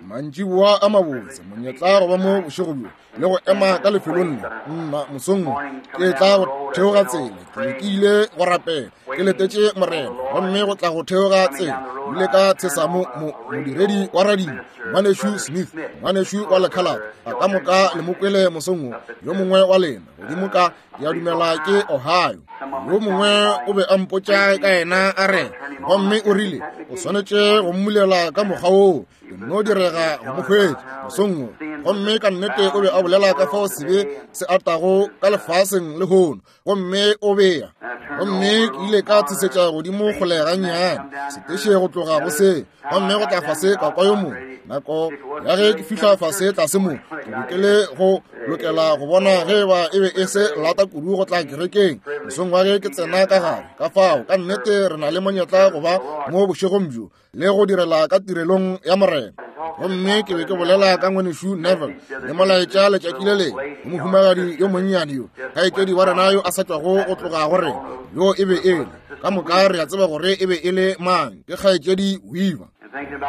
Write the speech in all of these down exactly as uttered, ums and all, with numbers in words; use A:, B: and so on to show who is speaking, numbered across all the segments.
A: Mantšiboa a mabotse, monyetla go ba mo bošego bjo le go ema ka lefelong le. Nna mosong wo ke tla go theoga tsela, ke be ke ile go rapela, ke letetše Morena, gomme go tla go theoga tsela ile ka tshesa mo modiredi wa radio, ngwanešu Smith, ngwanešu wa lekhalate, a ka moka le mo kwele mosong wo, yo mongwe wa lena godimo ka, ke a dumela ke Ohio. Yo mongwe o be a mpotša ka yena a re, gomme o rile o swanetše go mmulela ka mokgwa woo, ke nno direga go mo hwetša mosong wo. Gomme ka nnete o be a bolela ka fao sebe se atago ka lefaseng lehono, gomme o bea. Gomme ke ile ka tshesetša godimo kgole gannyane seteše go tloga go se, gomme go tla fase ka kwa yo mongwe. Nako ya ge ke fihla fase tlase mo, ke be ke le go lokela go bona ge ba e be e se lata kudu go tla kerekeng mosong wa ge ke tsena ka gare. Ka fao ka nnete re na le monyetla go ba mo bošegong bjo le go direla ka tirelong ya Morena. Gomme ke be ke bolela ka ngwanešu Neville le molaetša letšatši le lengwe go mohumagadi yo monnyane yo, kgaetšedi wa rena yo a sa tšwago go tloga go rena, yo e be e le ka moka re a tseba gore e be e le mang, ke kgaetšedi Weaver.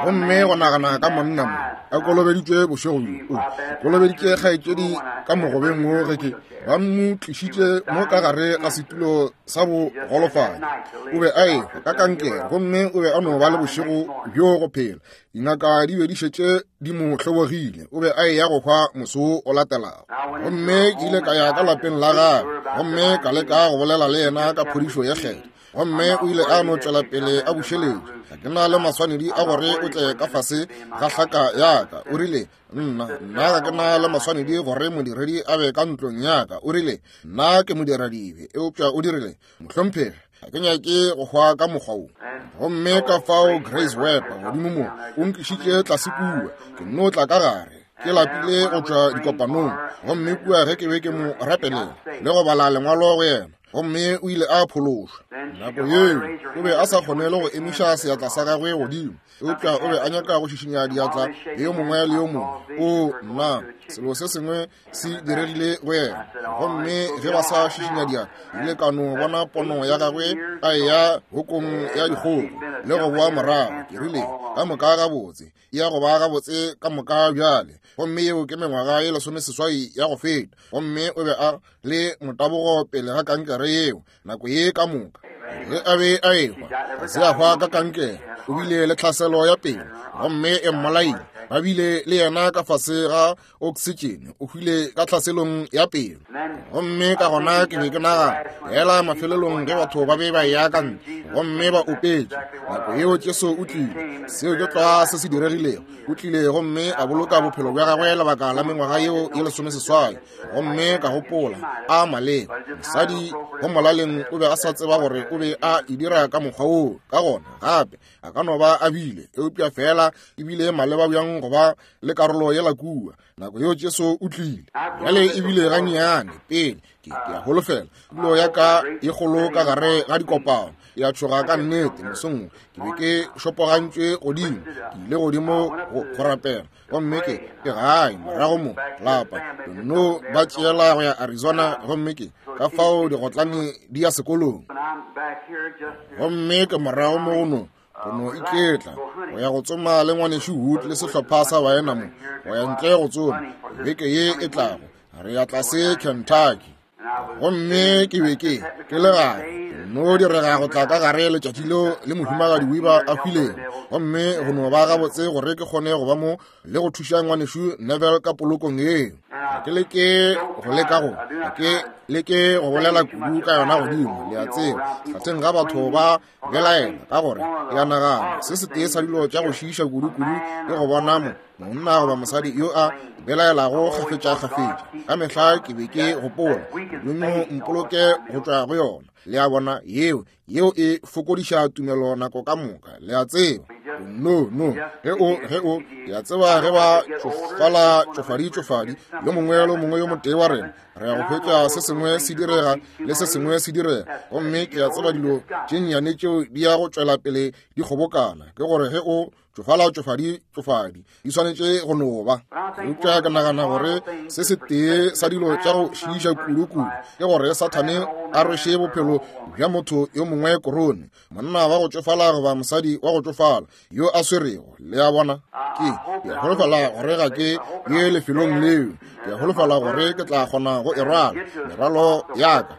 A: Gomme go nagana ka monna mo a kolobeditšwe bošego bjo, o kolobeditše kgaetšedi ka mogobeng wo ge ke ba mo tlišitše mo ka gare ga setulo sa bogolofadi. O be a ehwa ka kankere, gomme o be a no ba le bošego bjo go phela. Dingaka di be di šetše di mo hlobogile, o be a eya go hwa moso o latelago. Gomme ke ile ka ya ka lapeng la gagwe, gomme ka leka go bolela le yena ka phodišo ye kgethwa, gomme o ile a no tšwela pele a bušeletša. Ga ke na le maswanedi a gore o tle ka fase ga hlaka ya ka. O rile, nna nna ga ke na le maswanedi gore modiredi a be ka ntlong ya ka. O rile, nna ke modiradibe. Eupša o dirile, mohlomphegi, ga ke nyake go hwa ka mokgwa wo. Gomme ka fao Grace Webb godimo mo o nklišitše tlase kua, ke nno tla ka gare, ke lapile go tšwa dikopanong. Gomme kua ge ke be ke mo rapelela le go bala lengwalo go yena, gomme o ile a phološwa. Nako yeo o be a sa kgone le go emiša seatla sa gagwe godimo, eupša o be a nyaka go šišinya diatla le yo mongwe le yo mongwe. O nna, selo se sengwe se diregile go yena. Gomme ge ba sa šišinya diatla, ile ka no bona pono ya gagwe a eya hokong ya dikgogo le go boa morago. Ke rile, ka moka gabotse, e ya go ba gabotse ka moka bjale. Gomme yeo ke mengwaga ye lesomeseswai ya go feta. Gomme o be a le motabogo pele ga kankere yeo nako ye ka moka. Ge a be a ehwa, ga se a hwa ka kankere, o bile le tlhaselo ya pelo, gomme e mmolaile. Ba bile le yena ka fase ga oksitšene, o hwile ka tlhaselong ya pelo. Gomme ka gona ke be ke nagana fela mafelelong ge batho ba be ba eya ka ntle gomme ba opetše, nako yeo Jesu o tlile. Seo ke tlwa se se diregilego. O tlile gomme a boloka bophelo bja gagwe lebaka la mengwaga yeo ye lesomeseswai. Gomme ka gopola, a maleba, mosadi go molaleng o be a sa tseba gore o be a e dira ka mokgwa woo. Ka gona gape a ka no ba a bile, eupša fela e bile maleba bjang go ba le karolo yela kua. Nako yeo Jesu o tlile. Bjale e bile gannyane pele, ke ke a holofela tulo ya ka e kgolo ka gare ga dikopano ya tšhoga ka nnete. Mosong ke be ke šopogantšwe godimo, ke ile godimo go rapela, gomme ke ke gae morago mo lapa, ke nno ba tšeela go ya Arizona, gomme ke ka fao digotlane di ya sekolong. Gomme ke morago mo go no go no iketla go ya go tsoma le ngwanešu Wood le sehlopha sa baena mo, go ya ntle go tsoma beke ye e tlago, re ya tlase Kentucky. Gomme ke be ke ke le gae, no direga go tla ka gare letšatši leo le mohumagadi Weaver a hwilego, gomme go no ba gabotse gore ke kgone go ba mo le go thuša ngwanešu Neville ka polokong yeo. Ga ke leke go leka go ga ke leke go bolela kudu ka yona godimo, le a tseba, hlatheng ga batho ba belaela, ka gore ke a nagana se setee sa dilo tša go šiiša kudu-kudu ke go bona mo monna goba mosadi yo a belaelago kgafetša-kgafetša. Ka mehla ke be ke gopola, Modimo mpoloke go tšwa go yona. Le a bona, yeo yeo e fokodiša tumelo nako ka moka, le a tseba. No, no, ge o, ge o, ke a tseba ge ba tšofala tšofadi tšofadi, yo mongwe le mongwe yo motee wa rena re ya go hwetša se sengwe se direga le se sengwe se direga. Gomme ke a tseba dilo tše nnyane tšeo di ya go tšwela pele di kgobokana, ke gore ge o tšofala tšofadi tšofadi di swanetše go no ba. Eupša ke nagana gore se setee sa dilo tša go šiiša kudu-kudu ke gore Sathane a rweše bophelo bja motho yo mongwe korone, monna wa go tšofala goba mosadi wa go tšofala yo a swerego. Le a bona, Ke ke a holofela gore ga ke ye lefelong leo. Ke a holofela gore ke tla kgona go e rwala merwalo ya ka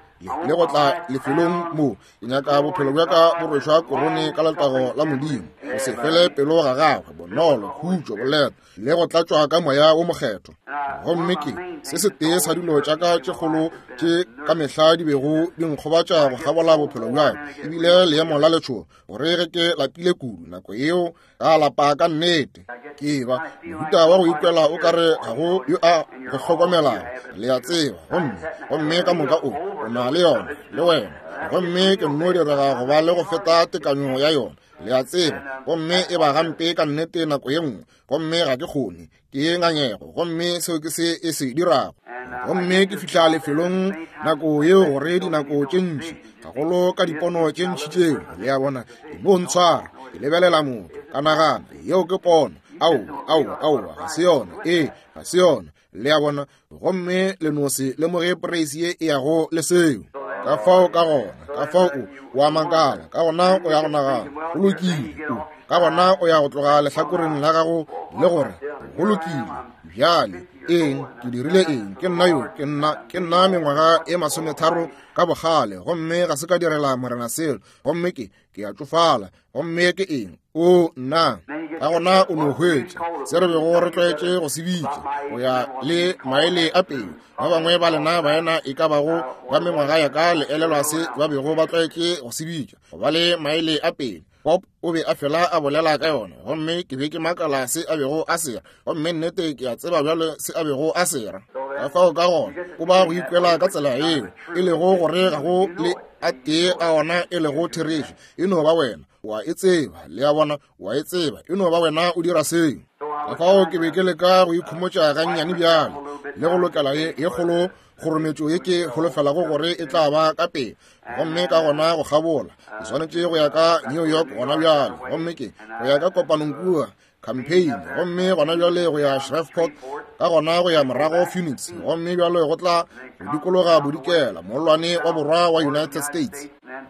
A: le go tla lefelong mo. Ke nyaka bophelo bja ka bo rwešwa korone ka letago la Modimo, go se fele pelo ga gagwe, bonolo, khutšo, boleta le go tlatšwa ka moya wo mokgethwa. Gomme ke se setee sa dilo tša ka tše kgolo tše ka mehla di bego di nkgobatša go kgabola bophelo bja ka, ebile leemo la letšhogo gore ge ke lapile kudu nako yeo ka lapa ka nnete. Ke ba mohuta wa go ikwela o kare ga go yo a go hlokomelago, le a tseba, gomme gomme ka moka o o na le yona le wena, gomme ke nno direga go ba le go feta tekanyo ya yona, le a tseba, gomme e ba gampe ka nnete nako ye nngwe, gomme ga ke kgone, ke ngangego, gomme seo ke se e se dirago. Gomme ke fihla lefelong nako yeo gore dinako tše ntši, gagolo ka dipono tše ntši tšeo, le a bona, di no ntshwara. Ke lebelela motho, ka nagana, yeo ke pono, aowa, aowa, aowa, ga se yona, ee, ga se yona, le a bona, gomme le no se lemoge poreisi ye e yago le seo. Ka fao ka gona, ka fao o, o a makala, ka gona o ya go nagana, go lokile, o, ka gona o ya go tloga lehlakoreng la gago le gore, go lokile, bjale, eng, ke dirile eng, ke nna yo, ke nna, ke nna mengwaga e masometharo ka bogale, gomme ga se ka direla Morena selo, gomme ke, ke a tšofala, gomme ke eng, o nna. Ka gona o no hwetša se re bego re tlwaetše go se bitša go ya le maele a pele. Ba bangwe ba lena baena e ka bago ba mengwaga ya ka le elelwa se ba bego ba tlwaetše go se bitša go ba le maele a pele. Pop o be a fela a bolela ka yona, gomme ke be ke makala se a bego a sera, gomme nnete ke a tseba bjale se a bego a sera. Ka fao ka gona o ba go ikwela ka tsela yeo e lego gore ga go le a tee a ona e lego therešo, e no ba wena wa e tseba, le a bona, wa e tseba, e no ba wena o dira seo. Ka fao ke be ke leka go ikhomotša gannyane bjale le go lokela ye ye kgolo kgorometšo ye ke holofelago gore e tla ba ka pele, gomme ka gona go kgabola ke swanetše go ya ka New York gona bjale, gomme ke go ya ka kopanong kua campaign, gomme gona bjale go ya Shreveport, ka gona go ya morago Phoenix, gomme bjale go tla go dikologa bodikela mollwane wa borwa wa United States,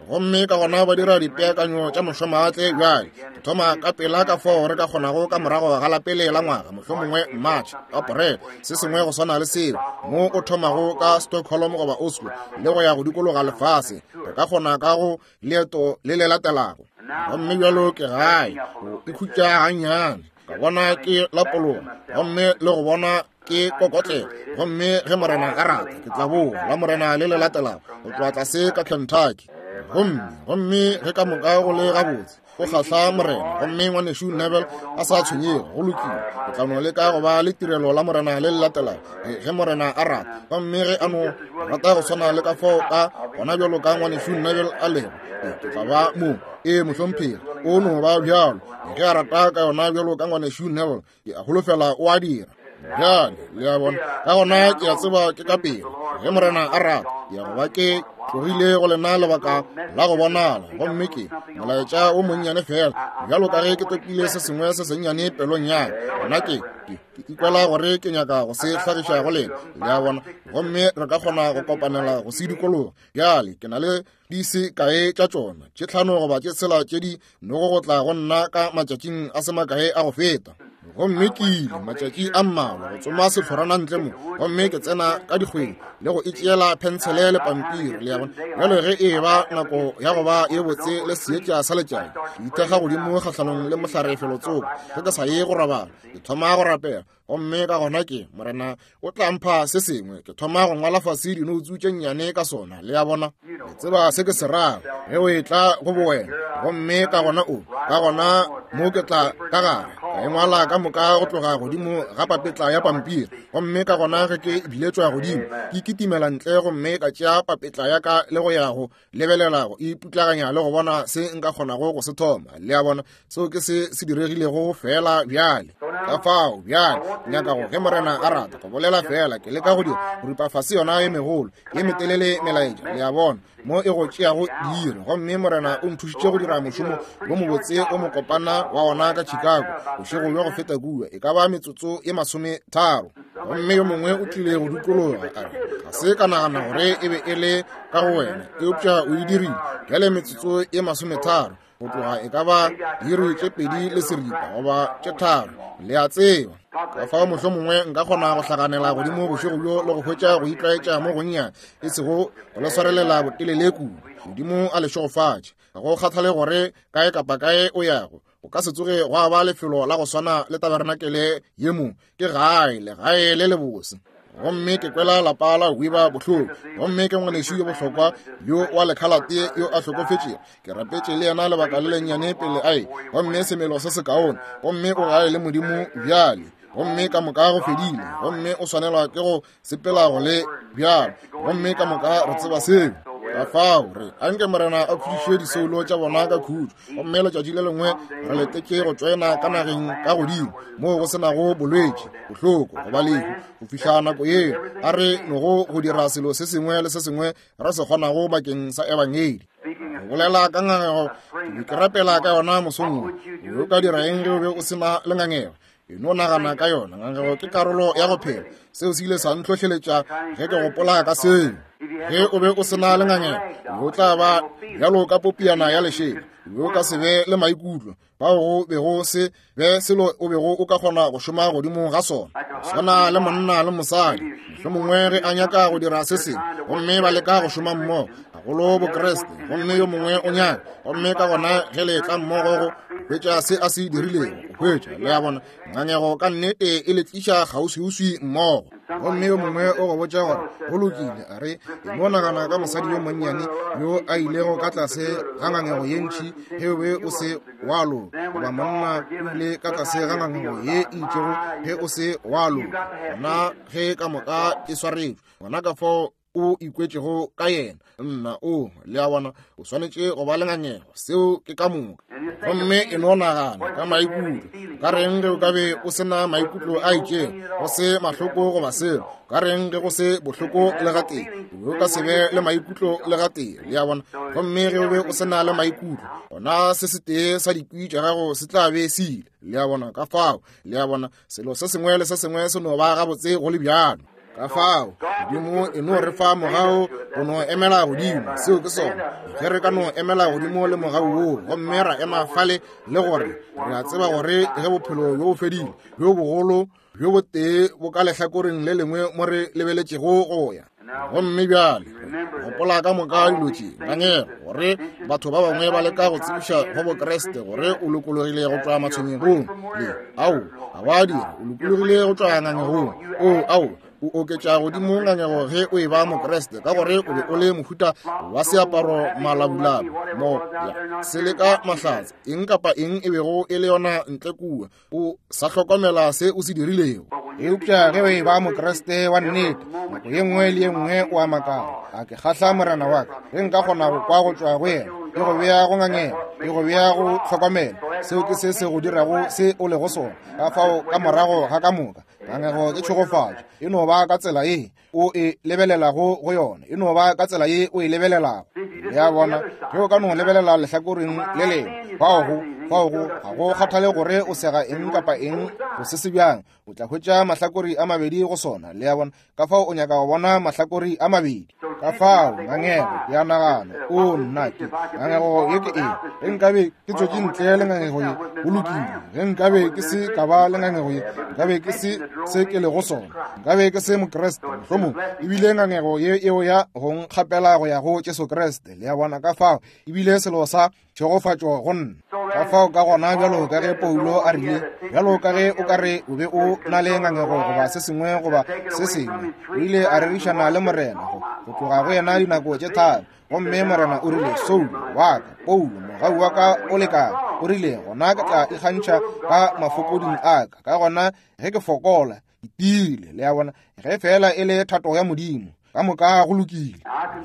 A: gomme ka gona ba dira dipeakanyo tša mošomaatle bjale. Ke thoma ka pela ka fao re ka kgonago ka morago ga la pele la ngwaga, mohlomongwe March, April, se sengwe go swana le seo, mo o thomago ka Stockholm goba Oslo le go ya go dikologa lefase, re ka kgona ka go leeto le le latelago. Gomme bjalo ke gae go ikhutša gannyane, ka bona ke lapologa, gomme le go bona ke kokotlela, gomme ge Morena a rata ke tla boa la Morena le le latelago go tloga tlase ka Kentucky. Gomme gomme ge ka moka go le gabotse go kgahla Morena, gomme ngwanešu Neville a sa tshwenyege, go lokile, ke tla no leka go ba le tirelo la Morena le le latelago ge Morena a rata, gomme ge a no rata go swana le ka fao ka gona bjalo ka ngwanešu Neville a lego, ke tla ba mo. Ee mohlomphegi, o no ba bjalo ge a rata ka yona bjalo ka ngwanešu Neville, ke a holofela o a dira. Bjale le a bona, ka gona ke a tseba ke ka pele ge Morena a rata ke ya go ba ke tlogile go lena lebaka la go bonala, gomme ke molaetša o monnyane fela bjalo ka ge ke topile se sengwe se sennyane pelong ya ka, gona ke ke ke ikwela gore ke nyaka go se hlagiša go lena, le a bona, gomme re ka kgona go kopanela go se dikologa. Bjale ke na le di se kae tša tšona, tše tlhano goba tše tshela tše di nogo go tla go nna ka matšatšing a se makae a go feta. Gomme ke ile matšatši a mmalwa go tsoma sehlorana ntle mo, gomme ke tsena ka dikgweng le go itšeela phentshele le pampiri, le a bona. Bjale ge e ba nako ya go ba ye botse le seetša sa letšatši, ke ithekga godimo kgahlanong le mohlare felotsoko, ge ke sa ye go robala ke thoma go rapela, gomme ka gona ke Morena o tla mpha se sengwe, ke thoma go ngwala fase dinoutsu tše nnyane ka sona, le a bona, le tseba se ke se rago ge o etla go bowena. Gomme ka gona o ka gona mo ke tla ka gare ka e ngwala ka moka go tloga godimo ga papetla ya pampiri, gomme ka gona ge ke biletšwa godimo ke kitimela ntle gomme ka tšea papetla ya ka le go ya go lebelela go iputlaganya le go bona se nka kgonago go se thoma, le a bona. Seo ke se se diregilego fela bjale. Ka fao bjale nyaka go ge Morena a rata go bolela fela, ke leka go dira go ripa fase yona ye megolo ye metelele melaetša, le a bona, mo e go tšeago diiri, gomme Morena o nthušitše go dira mošomo wo mobotse o mokopana wa ona ka Chicago bošego bja go feta kua, e ka ba metsotso ye masometharo. Gomme yo mongwe o tlile go dikologa a re, ga se ka nagana gore e be e le ka go wena, eupša o e dirile bjale metsotso ye masometharo. go tloga e ka ba diiri tše pedi le seripa goba tše tharo, le a tseba. Ka fao mohlomongwe nka kgona go hlaganela godimo bošego bjo le go hwetša go itlwaetša mo gonnyane, e sego go le swarelela botelele kudu. Modimo a le šegofatše. Ga go kgathale gore kae kapa kae o yago, o ka se tsoge gwa ba lefelo la go swana le tabarenakele ye mo. Ke gae, legae le lebose. Gomme ke kwela lapa la Weaver bohloko. Gomme ke ngwanešu yo bohlokwa yo wa lekhalate yo a hlokofetšego. Ke rapetše le yena lebaka le lennyane pele a e, gomme semelo se sekaone. Gomme o gae le Modimo bjale. Gomme ka moka go fedile. Gomme o swanelwa ke go sepela go le bjalo. Gomme ka moka re tseba seo. Ka fao re anke Morena a khutšiše disoulo tša bona ka khutšo. Gomme letšatši le lengwe re letetše go tšwena ka nageng ka godimo moo go senago bolwetši, bohloko goba lehu. Go fihla nako yeo, a re nogo go dira selo se sengwe le se sengwe re se kgonago bakeng sa ebangedi. Go bolela ka ngangego, ke be ke rapela ka yona mosong wo. O ka dira eng ge o be o sena le ngangego? E no nagana ka yona. Ngangego ke karolo ya go phela. Seo se ile sa ntlhohleletša ge ke gopola ka seo. Ge o be o sena le ngangego, o tla ba bjalo ka popiana ya lešela. O ka se be le maikutlo, bao go bego se be selo o bego o ka kgona go šoma godimo ga sona. Swana le monna le mosadi, mohlomongwe ge a nyaka go dira se sengwe, gomme ba leka go šoma mmogo, gagolo Bokreste, gomme yo mongwe o nyaka, gomme ka gona ge le tla mmogo go hwetša se a se dirilego, go hwetša, le a bona, ngangego ka nnete e le tliša kgauswiuswi mmogo. Gomme yo mongwe o go botša gore go lokile, a re e no nagana ka mosadi yo monnyane yo a ilego ka tlase ga ngangego ye ntši ge o be o se wa loka, goba monna o ile ka tlase ga ngangego ye e itšego ge o se wa loka. Gona ge ka moka e swaretšwe, gona ka fao o ikwetšego ka yena, nna o, le a bona, o swanetše go ba le ngangego. Seo ke ka moka. Gomme e no nagana ka maikutlo. Ka reng ge o ka be o sena maikutlo a itšego, go se mahloko goba selo? Ka reng ge go se bohloko le gatee? O ka se be le maikutlo le gatee, le a bona. Gomme ge o be o sena le maikutlo, gona se setee sa dikwi tša gago se tla be se ile, le a bona. Ka fao, le a bona, selo se sengwe le se sengwe se no ba gabotse go le bjalo. Ka fao Modimo e no re fa mogau go no emela godimo. Seo ke sona. Ge re ka no emela godimo le mogau woo, gomme ra ema fale le gore re a tseba gore ge bophelo bjo bo fedile, bjo bogolo bjo botee bo ka lehlakoreng le lengwe mo re lebeletšego go ya. Gomme bjale gopola ka moka dilo tše, ngangego, gore batho ba bangwe ba leka go tsebiša go Bokreste gore o lokologile go tšwa matshwenyegong. Le ao, ga wa dira, o lokologile go tšwa ngangegong. O ao, o oketša godimo ngangego ge o e ba Mokreste, ka gore o be o le mohuta wa seaparo malabulabu mo ya se le ka mahlatse, eng kapa eng e bego e le yona ntle kua, o sa hlokomela se o se dirilego. Eupša ge o e ba Mokreste wa nnete, nako ye nngwe le ye nngwe o a makala, a ke kgahla Morena wa ka, ge nka kgona go kwa go tšwa go yena, e go bea go ngangego, e go bea go hlokomela. Seo ke se se go dirago se o lego sona. Ka fao ka morago ga ka moka, ngangego ke tšhegofatšo. E no ba ka tsela ye o e lebelelago go yona, e no ba ka tsela ye o e lebelelago. Le a bona, ge o ka no lebelela lehlakoreng le lengwe, fao go fao go ga go kgathale gore o sega eng kapa eng go se se bjang, o tla hwetša mahlakori a mabedi go sona. Le a bona, ka fao o nyaka go bona mahlakori a mabedi. Ka fao ngangego ke a nagana, o nna ke ngangego ye ke eng? Ge nkabe ke tswetše ntle le ngangego ye, go lokile. Ge nkabe ke se ka ba le ngangego ye, nkabe ke se se ke lego sona, nkabe ke se Mokreste mohlomong. Ebile ngangego ye eo ya go nkgapela go ya go Jesu Kriste. Le a bona, ka fao ebile selo sa tšhegofatšo go nna. Ka fao ka gona, bjalo ka ge Paulo a rile, bjalo ka ge o ka re o be o na le ngangego goba se sengwe goba se sengwe, o ile a rerišana le Morena go go tloga go yena dinako tše tharo. Gomme Morena o rile, Saulo wa ka, Paulo, mogau wa ka o lekane. O rile, gona ke tla ikgantšha ka mafokoding a ka, ka gona ge ke fokola ke tiile. Le a bona, ge fela e le thato ya Modimo, ka moka go lokile.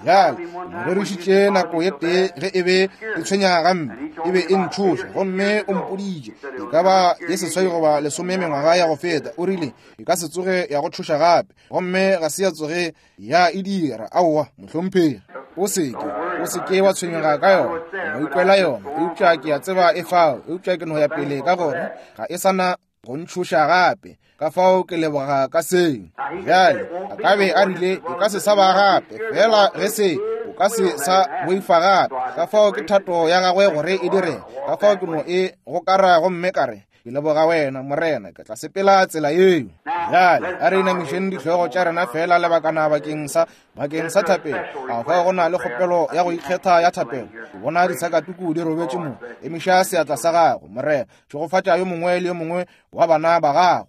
A: Bjale mo rerišitše nako ye tee ge e be e tshwenya gampe, e be e ntšhoša, gomme o mpoditše e ka ba ye seswai goba lesome mengwaga ya go feta. O rile e ka se tsoge ya go tšhoša gape, gomme ga se ya tsoge ya e dira. Aowa, mohlomphegi, o seke o seke wa tshwenyega ka yona, o ikwela yona, eupša ke a tseba e fao, eupša ke no ya pele ka gore ga e sana go ntšhoša gape. Ka fao ke leboga ka seo. Bjale a ka be a rile e ka se sa ba gape, fela ge se o
B: ka se sa boifa gape. Ka fao ke thato ya gagwe gore e dire. Ka fao ke no e gokara gomme ka re, ke leboga wena Morena, ke tla sepela tsela yeo. Bjale a re inamišeng dihlogo tša rena fela lebakana bakeng sa bakeng sa thapelo. A fao go na le kgopelo ya go ikgetha ya thapelo. Ke bona disakatuku di robetše mo. Emiša seatla sa gago, Morena. Tšhegofatša yo mongwe le yo mongwe wa bana ba gago.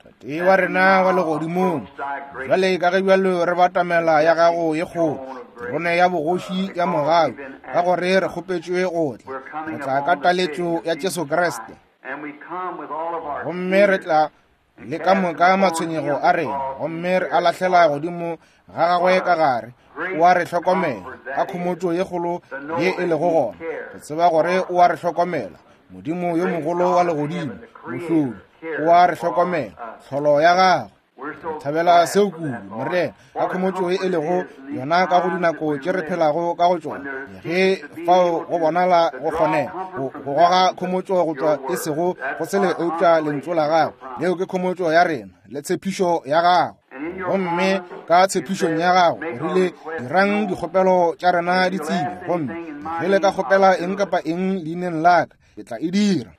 B: Tate wa rena wa legodimong, bjale ka ge bjalo re batamela ya gago ye kgolo, terone ya bogoši ya mogau, ka gore re kgopetšwe go tla, re tla ka taletšo ya Jesu Kriste, gomme re tla le ka moka matshwenyego a rena, gomme re a lahlela godimo ga gagwe ka gare. O a re hlokomela ka khomotšo ye kgolo ye e lego gona, re tseba gore o a re hlokomela. Modimo yo mogolo wa legodimo, mohlodi, o a re hlokomela, tlholo ya gagwe. Re thabela seo kudu, Morena, ka khomotšo ye e lego yona ka go dinako tše re phelago ka go tšona, ge fao go bonala go kgonega go goga khomotšo go tšwa e sego go sele eupša lentšu la gago. Leo ke khomotšo ya rena le tshepišo ya gago. Gomme ka tshepišong ya gago o rile, dirang dikgopelo tša rena di tsebe, gomme ge le ka kgopela eng kapa eng leineng la ka, ke tla e dira.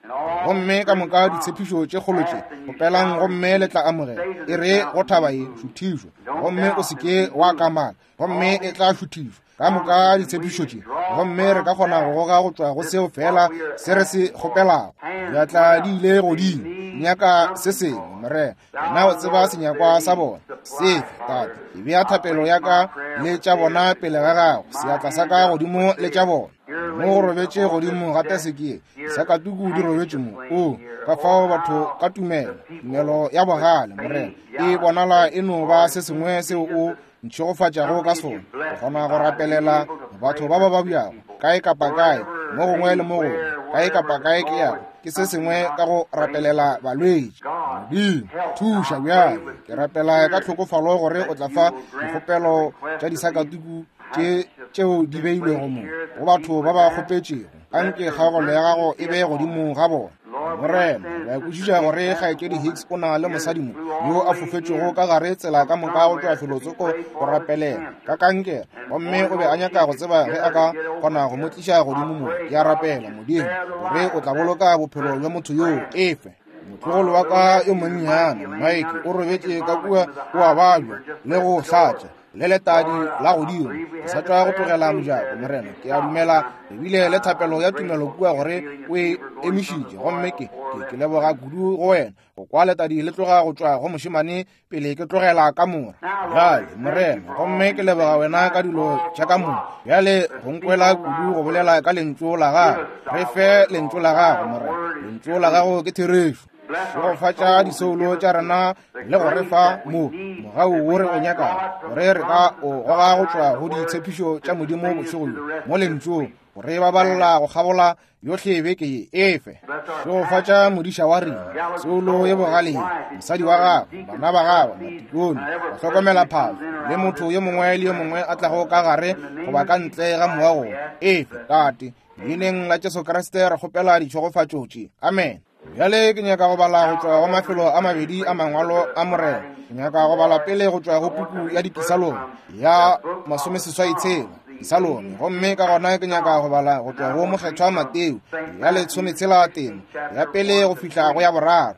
B: Gomme ka moka ditshepišo tše kgolo tše, kgopelang gomme le tla amogela. E re go thaba ye, šuthišwa, gomme o se ke wa kamaka, gomme e tla šuthišwa. Ka moka ditshepišo tše, gomme re ka kgona go goga go tšwa go seo fela se re se kgopelago. Diatla di ile godimo, nyaka se sengwe, Morena. Wena o tseba senyakwa sa bona. Sefe, Tate, ke bea thapelo ya ka le tša bona pele ga gago, seatla sa ka godimo le tša bona. Mo go robetše godimo ga teseke, disakatuku di robetše mo. O ka fao batho ka tumelo, tumelo ya bogale, Morena, e bonala e no ba se sengwe seo o ntšhegofatšago ka sona. Go kgona go rapelela batho ba ba babjago kae kapa kae, mo gongwe le mo gongwe, kae kapa kae ke yago, ke se sengwe ka go rapelela balwetši. Modimo, thuša bjale. Ke rapela ka tlhokofalo gore o tla fa dikgopelo tša disakatuku tše tšeo di beilwego mo go batho ba ba kgopetšego. Anke kgaogelo ya gago e be godimo ga bona. Morena, re a kwešiša gore kgaetšedi Hicks o na le mosadi mo yo a fofetšego ka gare tsela ka moka go tšwa felotsoko go rapelela ka kankere, gomme o be a nyaka go tseba ge a ka kgona go mo tliša godimo mo. Ke a rapela, Modimo, gore o tla boloka bophelo bja motho yoo. Efe motlogolo wa ka yo monnyane Mike o robetše ka kua, o a babja le go hlatša le letadi la godimo. Ke sa tšwa go tlogela mojako, Morena. Ke a dumela ebile le thapelo ya tumelo kua gore o e emišitše, gomme ke ke ke leboga kudu go wena go kwa letadi le tloga go tšwa go mošemane pele ke tlogela kamora. Bjale, Morena, gomme ke leboga wena ka dilo tša ka moka. Bjale go nkwela kudu go bolela ka lentšu la gago. Re fe lentšu la gago, Morena. Lentšu la gago ke therešo. Šegofatša disoulo tša rena le go re fa mo mogau wo re o nyakago, gore re ka o goga go tšwa go ditshepišo tša Modimo bošego bjo mo lentšung, gore ba balla go kgabola yohle beke ye. Efe šegofatša modiša wa rena, soulo ye bogale ye, mosadi wa gagwe, bana ba gagwe, matikone, go hlokomela phahlo, le motho yo mongwe le yo mongwe a tlago ka gare goba ka ntle ga moago. Efe, Tate, leineng la Jesu Kriste re kgopela ditšhegofatšo tše. Amen. Bjale ke nyaka go bala go tšwa go mafelo a mabedi a mangwalo a Morena. Ke nyaka go bala pele go tšwa go puku ya Dipisalome ya masomeseswai tshela, Dipisalome, gomme ka gona ke nyaka go bala go tšwa go Mokgethwa Mateo ya lesometshela temo ya pele go fihla go ya boraro.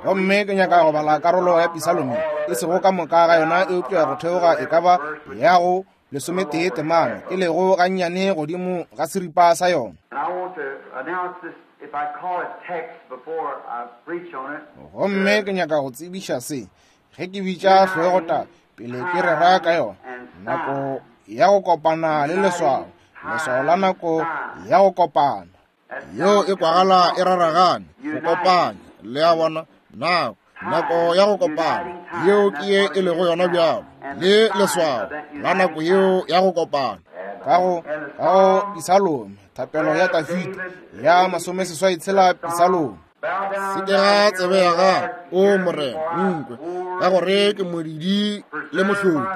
B: Gomme ke nyaka go bala karolo ya Pisalome, e sego ka moka ga yona, eupša go theoga e ka ba ya go lesometee temana, e lego gannyane godimo ga seripa sa yona. Gomme ke nyaka go tsebiša se, ge ke bitša hlogotaba pele ke rera ka yona, nako ya go kopana le leswao, leswao la nako ya go kopana.
A: Yeo e kwagala e raragane, go kopanya, le a bona, nako, nako ya go kopana, yeo ke ye e lego yona bjalo, le leswao la nako yeo ya go kopana.
B: Ka go ka go Pisalome, thapelo ya Dafida ya masomeseswai tshela Pisalome.
A: Sekega tsebe ya gago, o Morena, nkwe, ka gore ke modidi le mohlodi.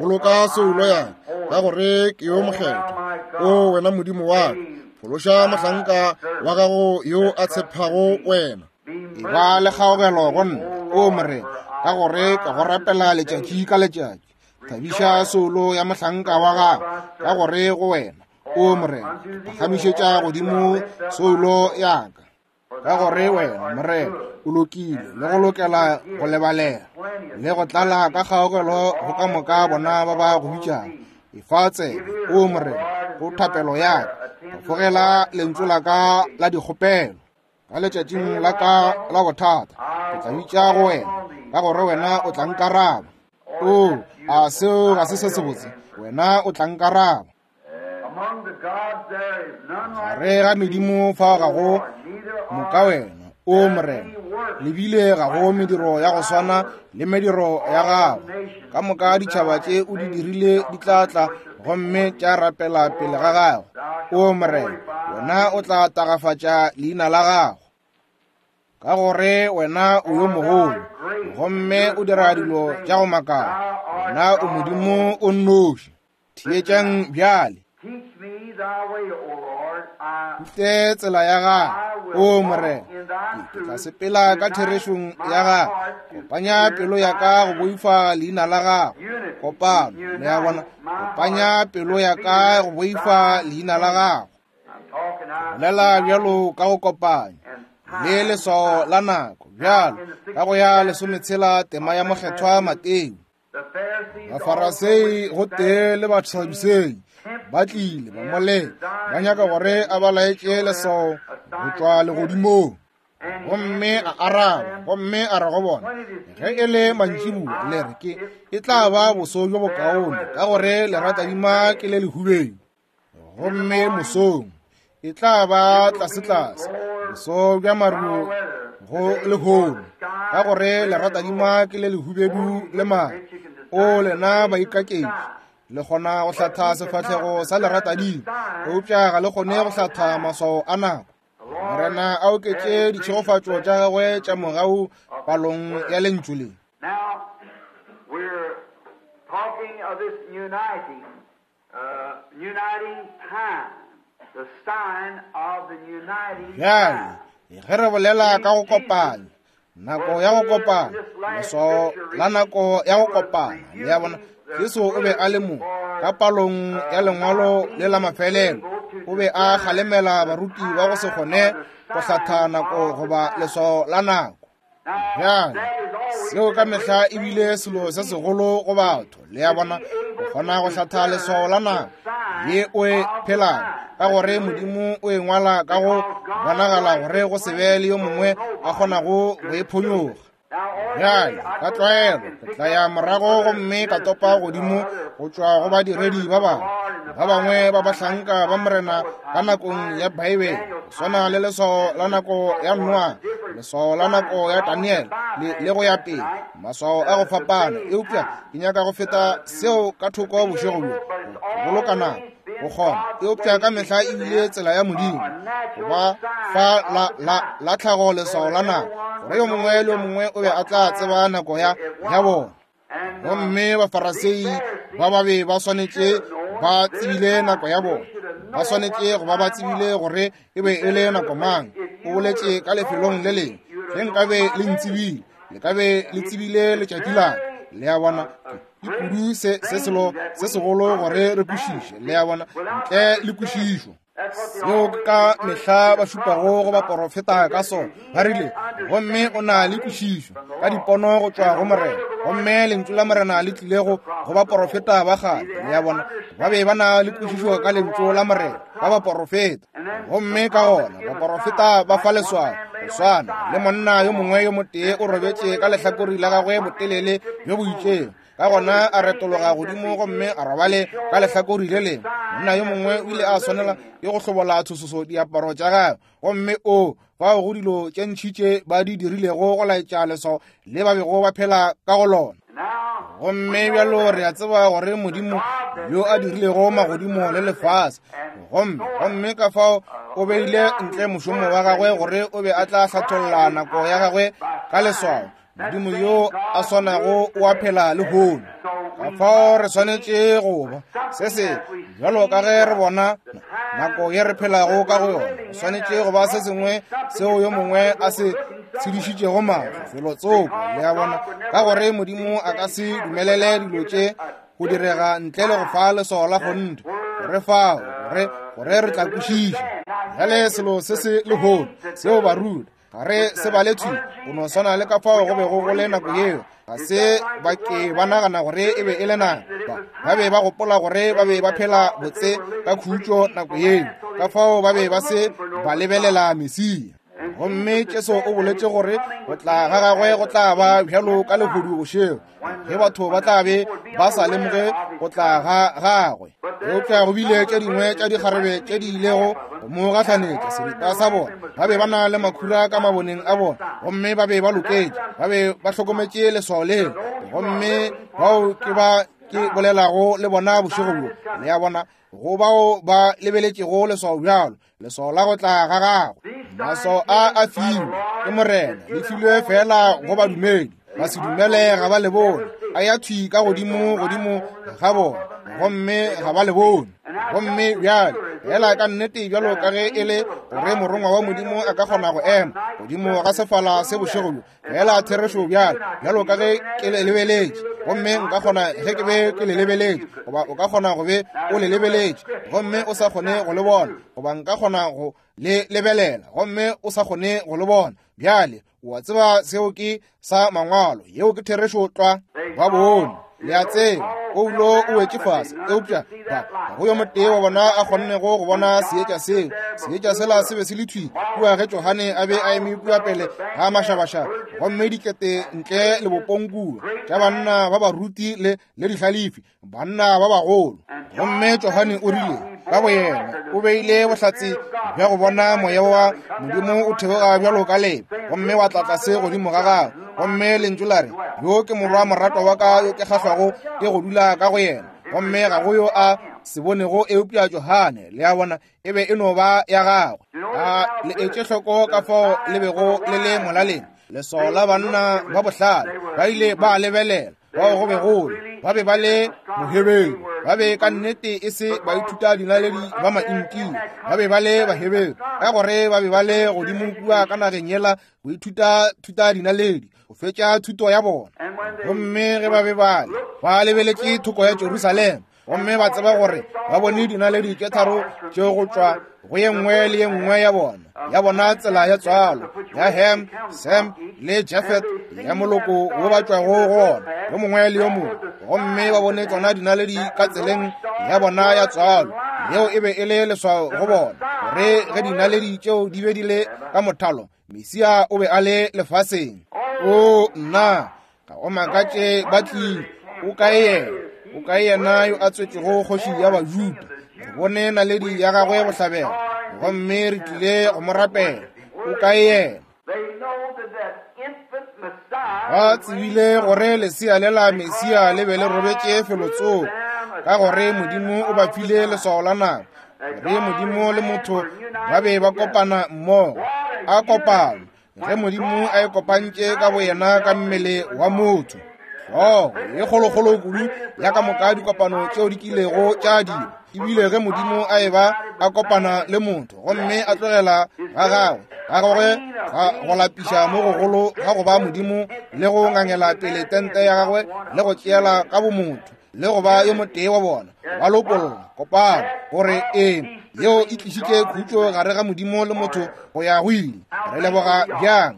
A: Boloka soulo ya ka, ka gore ke yo mokgethwa. O wena Modimo wa ka, phološa mohlanka wa gago yo a tshepago wena.
B: E ba le kgaogelo go nna, o Morena, ka gore ke go rapela letšatši ka letšatši. Thabiša soulo ya mohlanka wa gago, ka gore go wena, o Morena, ke phagamišetša godimo soulo ya ka. Ka gore wena, Morena, o lokile le go lokela go lebalela le go tlala ka kgaogelo go ka moka bona ba ba go bitšago. Efa tsebe, o Morena, go thapelo ya ka, fofogela lentšu la ka la dikgopelo. Ka letšatšing la ka la bothata ke tla bitša go wena, ka gore wena o tla nkaraba. O, a seo ga se se sebotse? Wena o tla nkaraba. Gare ga medimo fao ga go moka wena, o Morena, lebile ga go mediro ya go swana le mediro ya gago. Ka moka ditšhaba tše o di dirile di tla tla gomme tša rapela pele ga gago. O Morena, wena o tla tagafatša leina la gago, ka gore wena o yo mogolo gomme o dira dilo tša go makala. Wena o Modimo o nnoši. Theetšang bjale. Nte tsela ya gago, o Morena, ke tla sepela ka therešong ya gago. Kopanya pelo ya ka go boifa leina la gago. Kopano, le a bona, kopanya pelo ya ka go boifa leina la gago. Bolela bjalo ka go kopanya le leswao la nako, bjalo ka go ya lesometshela tema ya mokgethwa Mateo. Bafarasei gotee le Basadusei ba tlile ba mo ba nyaka gore a ba laetše leswao go tšwa legodimong. Gomme a araba gomme a re go bona, ge e le mantšiboa le re ke e tla ba boso bjo bokaone, ka gore leratadima ke le lehubedu. Gomme mosong e tla ba tlasetlase, boso bja maru go lehono, ka gore leratadima ke le lehubedu le maru. O lena baikaketši, le kgona go hlatha sefahlego sa leratadima, eupša ga le kgone go hlatha maswao a nako. Morena a oketše ditšhegofatšo tša gagwe tša mogau palong ya lentšu le. Bjale ge re bolela ka go kopanya, nako ya go kopana, leswao la nako ya go kopana, le a bona, Jesu o be a le mo ka palong ya lengwalo le la mafelelo. O be a kgalemela baruti ba go se kgone go hlatha nako goba leswao la nako. Bjale seo ka mehla e bile selo se segolo go batho, le a bona, go kgona go hlatha leswao la nako ye o e phelang, ka gore Modimo o e ngwala ka go bonagala gore go se be le yo mongwe a kgonago go e phonyoga. Bjale ka tlwaelo ke tla ya morago gomme ka topa godimo go tšwa go badiredi ba bangwe, ba bangwe ba bahlanka ba Morena ka nakong ya Bibele, go swana le leswao la nako ya Noa, leswao la nako ya Daniel, le, le go ya pele, maswao a go fapana. Eupša ke nyaka go feta seo ka thoko bošego bjo, go boloka nako go kgona. Eupša ka mehla e bile tsela ya Modimo go ba fa la, la, la tlhago leswao la nako, gore yo mongwe le yo mongwe o be a tla tseba nako ya, ya bona. Gomme Bafarasei ba ba be ba swanetše ba tsebile nako ya bona, ba swanetše go ba ba tsebile gore e be e le nako mang. O boletše ka lefelong le lengwe, ge nkabe le ntsebile, le ka be le tsebile letšatši la ka. Le a bona, ke kudu se, se selo se segolo gore re kwešiše, le a bona, ntle le kwešišo. Seo ka mehla ba šupago go baporofeta ka sona. Ba rile, gomme o na le kwešišo ka dipono go tšwa go Morena, gomme lentšu la Morena le tlile go go baporofeta ba kgale. Le a bona, ba be ba na le kwešišo ka lentšu la Morena ka baporofeta. Gomme ka gona baporofeta ba fa leswao, go swana le monna yo mongwe yo motee o robetše ka lehlakore la gagwe botelele bjo bo itšego, ka gona a retologa godimo gomme a robale ka lehlakore le lengwe. Monna yo mongwe o ile a swanela ke go hlobola tshososo diaparo tša gagwe, gomme o fao go dilo tše ntši tše ba di dirilego go laetša leswao le ba bego ba phela ka go lona. Gomme bjalo re a tseba gore Modimo yo a dirilego magodimo le lefase, gomme gomme ka fao o beile ntle mošomo wa gagwe gore o be a tla hlatholla nako ya gagwe ka leswao. Modimo yo a swanago o a phela lehono. Ka fao re swanetše go ba se se bjalo ka ge re bona nako ye re phelago ka go yona, go swanetše go ba se sengwe seo yo mongwe a se tshedišitšego mahlo felotsoko, le a bona, ka gore Modimo a ka se dumelele dilo tše go direga ntle le go fa leswao la kgonthe, gore fao gore gore re tla kwešiša. Bjale selo se se lehono seo baruti ga re se bale thwi go no swana le ka fao go bego go le nako yeo. Ga se ba ke ba nagana gore e be e le nako, ba be ba gopola gore ba be ba phela botse ka khutšo nako yeo, ka fao ba be ba se ba lebelela Mesia. Gomme Jesu o boletše gore go tla ga gagwe go tla ba bjalo ka lehodu bošego, ge batho ba tla be ba sa lemoge go tla ga gagwe. Eupša go bile tše dingwe tša dikgarebe tše di ilego go mo gahlanetša seripa sa bona. Ba be ba na le makhura ka maboneng a bona, gomme ba be ba loketše, ba be ba hlokometše leswao leo. Gomme bao ke ba ke bolelago le bona bošego bjo, le a bona, go bao ba lebeletšego leswao bjalo, leswao la go tla ga gagwe. Maswao a a filwe ke Morena, le filwe fela go badumedi. Ba se dumele ga ba le bone, a ya thwi ka godimo godimo ga bona, gomme ga ba le bone. Gomme bjale fela ka nnete bjalo ka ge e le gore morongwa wa Modimo a ka kgona go ema godimo ga sefala se bošego bjo, fela therešo bjalo bjalo ka ge ke le lebeletše, gomme nka kgona ge ke be ke le lebeletše, goba o ka kgona go be o le lebeletše gomme o sa kgone go le bona, goba nka kgona go le lebelela gomme o sa kgone go le bona. Bjale o a tseba seo ke sa mangwalo, yeo ke therešo tlwa. Ba bone, le a tseba, Paulo o wetše fase, eupša ba go yo motee wa bona a kgonnego go bona seetša seo. Seetša sela se be se le thwi kua ge Johane a be a eme kua pele ga mašabašaba, gomme dikete ntle le bopong kua tša banna ba baruti le le dihlalefi, banna ba bagolo. Gomme Johane o rile ka boyena o beile bohlatse bja go bona moya wa Modimo o theoga bjalo ka lebe, gomme wa tla tlase godimo ga gagwe. Gomme lentšu la re, yo ke morwa moratwa wa ka yo ke kgahlwago ke go dula ka go yena. Gomme ga go yo a se bonego eupša Johane. Le a bona, e be e no ba ya gagwe. A le etše hloko ka fao le bego le le molaleng. Leswao la banna ba bohlale ba ile ba lebelela bao go be gole, ba be ba le Moheberu, ba be ka nnete e se baithuta dinaledi ba maintia, ba be ba le Baheberu, ka gore ba be ba le godimo kua ka nageng yela go ithuta thuta dinaledi, go fetša thuto ya bona. Gomme ge ba be ba le ba lebeletše thoko ya Jerusalema, gomme ba tseba gore ba bone dinaledi tše tharo tše go tšwa go ye nngwe le ye nngwe ya bona, ya bona tsela ya tswalo ya Ham, Sem le Jafet, ya moloko wo ba tšwago go ona, yo mongwe le yo mongwe. Gomme ba bone tsona dinaledi ka tseleng ya bona ya tswalo. Yeo e be e le leswao go bona gore ge dinaledi tšeo di be di le ka mothalo, Mesia o be a le lefaseng. O nna, ga go makatše ba tlile. O kae yena? O kae yena yo a tswetšego kgoši ya Bajuda? Re bone naledi ya gagwe bohlabela, gomme re tlile go mo rapela. O kae yena? Ba tsebile gore lesea le la Mesia le be le robetše felotsoko, ka gore Modimo o ba file leswao la nako, gore Modimo le motho ba be ba kopana mmogo. A kopano ge Modimo a e kopantše ka boyena ka mmele wa motho. Hlogo ye kgolokgolo kudu ya ka moka dikopano tšeo di kilego tša dira, ebile ge Modimo a eba a kopana le motho gomme a tlogela ga gagwe ga gagwe ga go lapiša mo gogolo ga go ba Modimo le go ngangela pele tente ya gagwe le go tšeela ka bomotho le go ba yo motee wa bona, ba lopolla kopano gore ee yeo e tlišitše khutšo gare ga Modimo le motho go ya go ile. Re leboga bjang.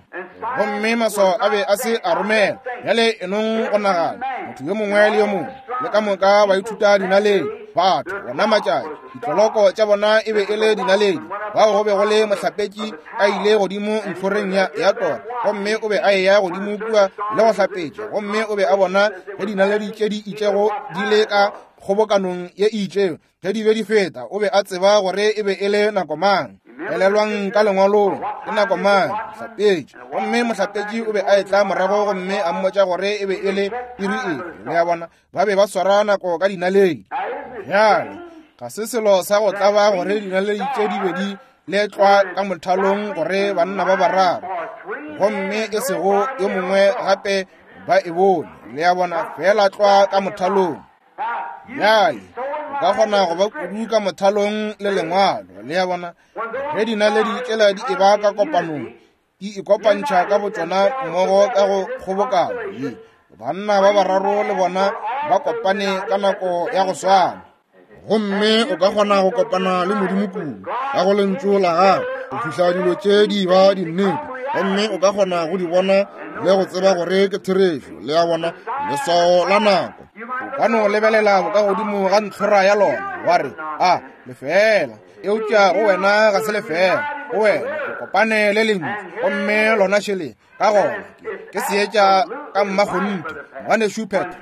B: Gomme maswao a be a se a romela. Bjale enong go nagana motho yo mongwe le yo mongwe le ka moka ba ithuta dinaledi, batho bona matšatši ditloloko tša bona e be e le dinaledi. Bao go be go le mohlapetši a ile godimo ntlhoreng ya, ya tora, gomme o be a eya godimo kua le go hlapetša, gomme o be a bona ge dinaledi tše di itšego di le ka kgobokanong ye e itšego. Ge di be di feta, o be a tseba gore e be e le nako mang. Elelwang ka lengwalong, ke nako mang mohlapetši. Gomme mohlapetši o be a etla morago gomme a mmotša gore e be e le iri efe. Le a bona, ba be ba swara nako ka dinaledi. Bjale ga se selo sa go tlaba gore dinaledi tše di be di letlwa ka mothalong gore banna ba bararo, gomme e sego yo mongwe gape ba e bone. Le a bona, fela tlwa ka mothalong. Bjale o ka kgona go ba kudu ka mothalong le lengwalo. Le a bona, ge dinaledi tšela di eba ka kopanong, di ikopantšha ka botšona mmogo ka go kgobokano ye. Banna ba bararo le bona ba kopane ka nako ya go swana.
A: Gomme o ka kgona go kopana le Modimo kudu ka go lentšu la gagwe go fihla dilo tše di ba dinnete, gomme o ka kgona go di bona le go tseba gore ke therešo. Le a bona, leswao la nako.
B: O ka no lebelela bokagodimo ga ntlhora ya lona wa re, a lefela, eupša go wena ga se lefela. Go wena o kopane le lentšu, gomme lona šele. Ka gona ke seetša ka mmakgonthe. Ngwanešu Petro,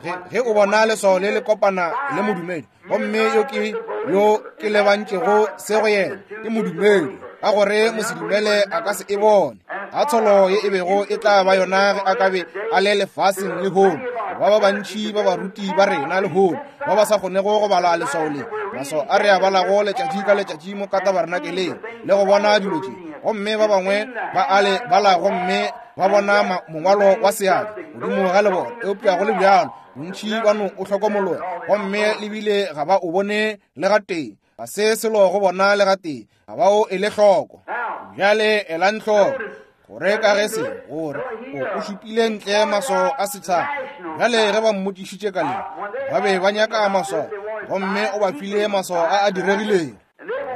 B: ge, ge o bona leswao le le kopana le modumedi, gomme yo ke yo ke lebantšego se go yena ke modumedi, ka gore mosedumele a ka se e bone. A tsholo ye e bego e tla ba yona ge a ka be a le lefaseng lehono. Ba ba bantši ba baruti ba rena lehono ba ba sa kgonego go bala leswao le, maswao a re a balago letšatši ka letšatši mo ka tabernakeleng le go bona dilo tše, gomme ba bangwe ba a le bala gomme ba bona mongwalo wa seatla godimo ga lebone, eupša go le bjalo bontši ba no o hlokomologa, gomme lebile ga ba o bone le gatee. Ga se selo go bona le gatee, ga ba o ele hloko. Bjale elang hloko gore ka ge se gore o šupile ntle maswao a setšhaba. Bjale ge ba mmotšišitše ka le, ba be ba nyaka maswao, gomme o ba file maswao a a diregilego.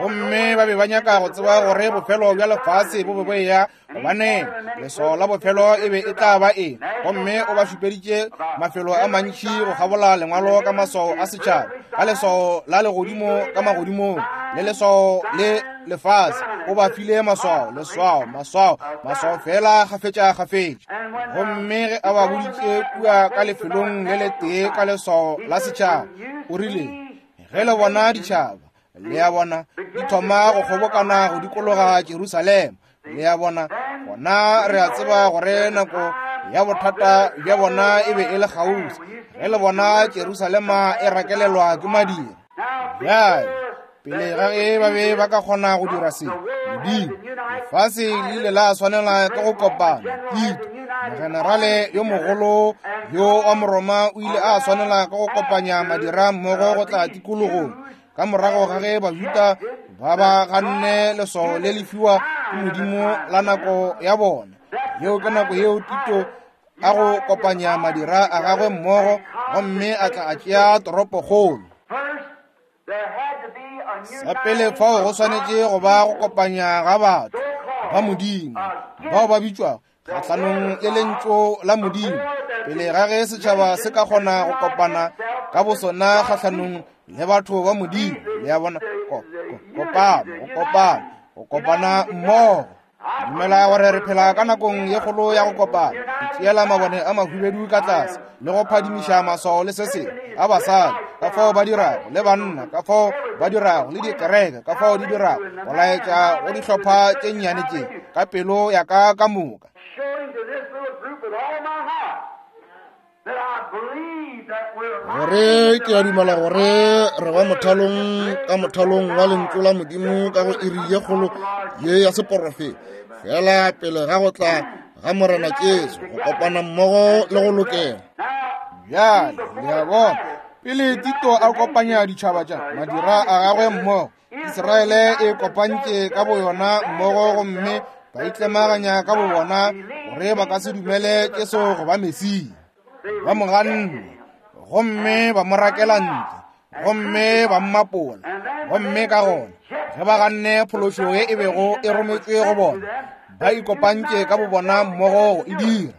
B: Gomme ba be ba nyaka go tseba gore bofelo bja lefase bo be bo eya, gobane leswao la bofelo e be e tla ba eng. Gomme o ba šupeditše mafelo a mantši go kgabola lengwalo ka maswao a setšhaba, ka leswao la legodimo ka magodimong le leswao le lefase. O ba file maswao, leswao, maswao, maswao fela kgafetša kgafetša. Gomme ge a ba boditše kua ka lefelong le letee ka leswao la setšhaba, o rile, ge le bona ditšhaba, le a bona, di thoma go kgobokana go dikologa Jerusalema, le a bona, gona re a tseba gore nako ya bothata bja bona e be e le kgauswi. Ge le bona Jerusalema e rakelelwa ke madira. Bjale pele ga ge ba be ba ka kgona go dira se, Modimo, lefase le ile la swanela ke go kopana. Tito, mogenerale yo mogolo yo wa Moroma, o ile a swanela ke go kopanya madira mmogo go tla tikologong ka morago ga ge Bajuda ba ba ganne leswao le le fiwa ke Modimo la nako ya bona. Yeo ke nako yeo Tito a go kopanya madira a gagwe mmogo, gomme a tla a tšea toropokgolo. Sa pele fao go swanetše go ba go kopanya ga batho ba Modimo bao ba bitšwago kgahlanong le lentšu la Modimo, pele ga ge setšhaba se ka kgona go kopana ka bosona kgahlanong le batho ba Modimo. Le a bona, kopano, go kopana, go kopana mmogo. Dumela gore re phela ka nakong ye kgolo ya go kopana, go tšeela mabone a mahubedu ka tlase le go phadimiša maswao le se sengwe a basadi ka fao ba dirago, le banna ka fao ba dirago, le dikereke ka fao di dirago, go laetša go dihlopha tše nnyane tše ka pelo ya ka ka moka.
A: Gore ke a dumela gore re ba mothalong ka mothalong wa lentšu la Modimo ka go iri ye kgolo ye ya seporofeta, fela pele ga go tla ga Morena Jesu, go kopana mmogo le go lokela.
B: Bjale le a bona, pele Tito a kopanya ditšhaba tša madira a gagwe mmogo, Israele e kopantše ka boyona mmogo, gomme ba itlemaganya ka bobona gore ba ka se dumele Jesu go ba Mesia. Ba mo ganne, gomme ba mo rakela ntle, gomme ba mmapola. Gomme ka gona ge ba ganne phološo ye e bego e rometšwe go bona, ba ikopantše ka bobona mmogo go e dira.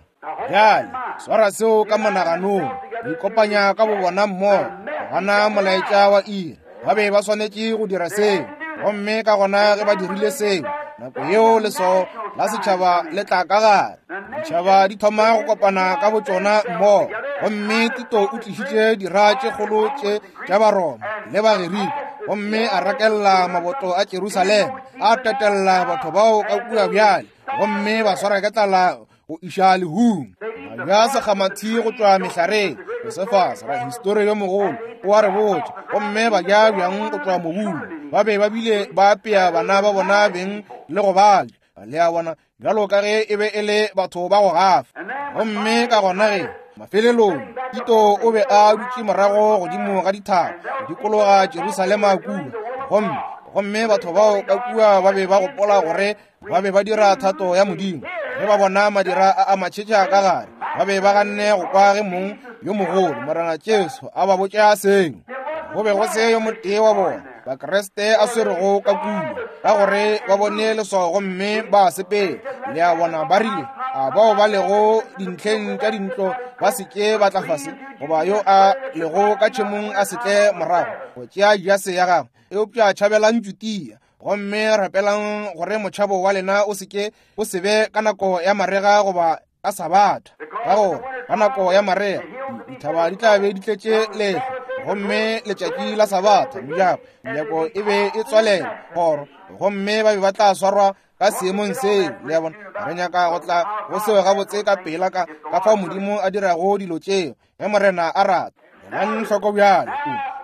B: Bjale swara seo ka monaganong, go ikopanya ka bobona mmogo, go gana molaetša wa iri. Ba be ba swanetše go dira seo, gomme ka gona ge ba dirile seo, nako yeo leswao la setšhaba le tla ka gare. Ditšhaba di thoma go kopana ka botšona mmogo, gomme Tito o tlišitše dira tše kgolo tše tša Baroma le Bagerika, gomme a rakella maboto a Jerusalema, a tetella batho bao ka kua bjale, gomme ba swara ke tlala go iša lehung. Ba ja sekgamathi go tšwa mehlareng. Josephus, rahistori yo mogolo, o a re botša, gomme ba ja bjang go tšwa mobung. Ba be ba bile ba apea bana ba bona beng le go ba ja. Le a bona, bjalo ka ge e be e le batho ba go gafa. Gomme ka gona ge mafelelong Tito o be a dutše morago godimo ga dithaba go dikologa Jerusalema kua, gomme gomme batho bao ka kua ba be ba gopola gore ba be ba dira thato ya Modimo. Ge ba bona madira a a matšhetša ka gare, Ba be ba ganne go kwa ge mong yo mogolo Morena Jesu a ba botša seo. Go be go se yo motee wa bona Bakriste a swerego ka kua, ka gore ba bone leswao gomme ba sepela. Le a bona, ba rile, a bao ba lego dintlheng tša dintlo ba se ke ba tla fase, goba yo a lego ka tšhemong a se tle morago go tšea jase ya gagwe, eupša tšhabelang Judea gomme rapelang gore motšhabo wa lena o se ke o se be ka nako ya marega goba ka Sabatha. Ka gore ka nako ya marega dithaba di tla be di tletše lehlwa, gomme letšatši la Sabatha mojako menyako e be e tswalela kgoro, gomme ba be ba tla swarwa ka seemong seo. Le a bona, re nyaka go tla go seo gabotse ka pela ka ka fao Modimo a dirago dilo tšeo ge Morena a rata. Elang hloko bjale,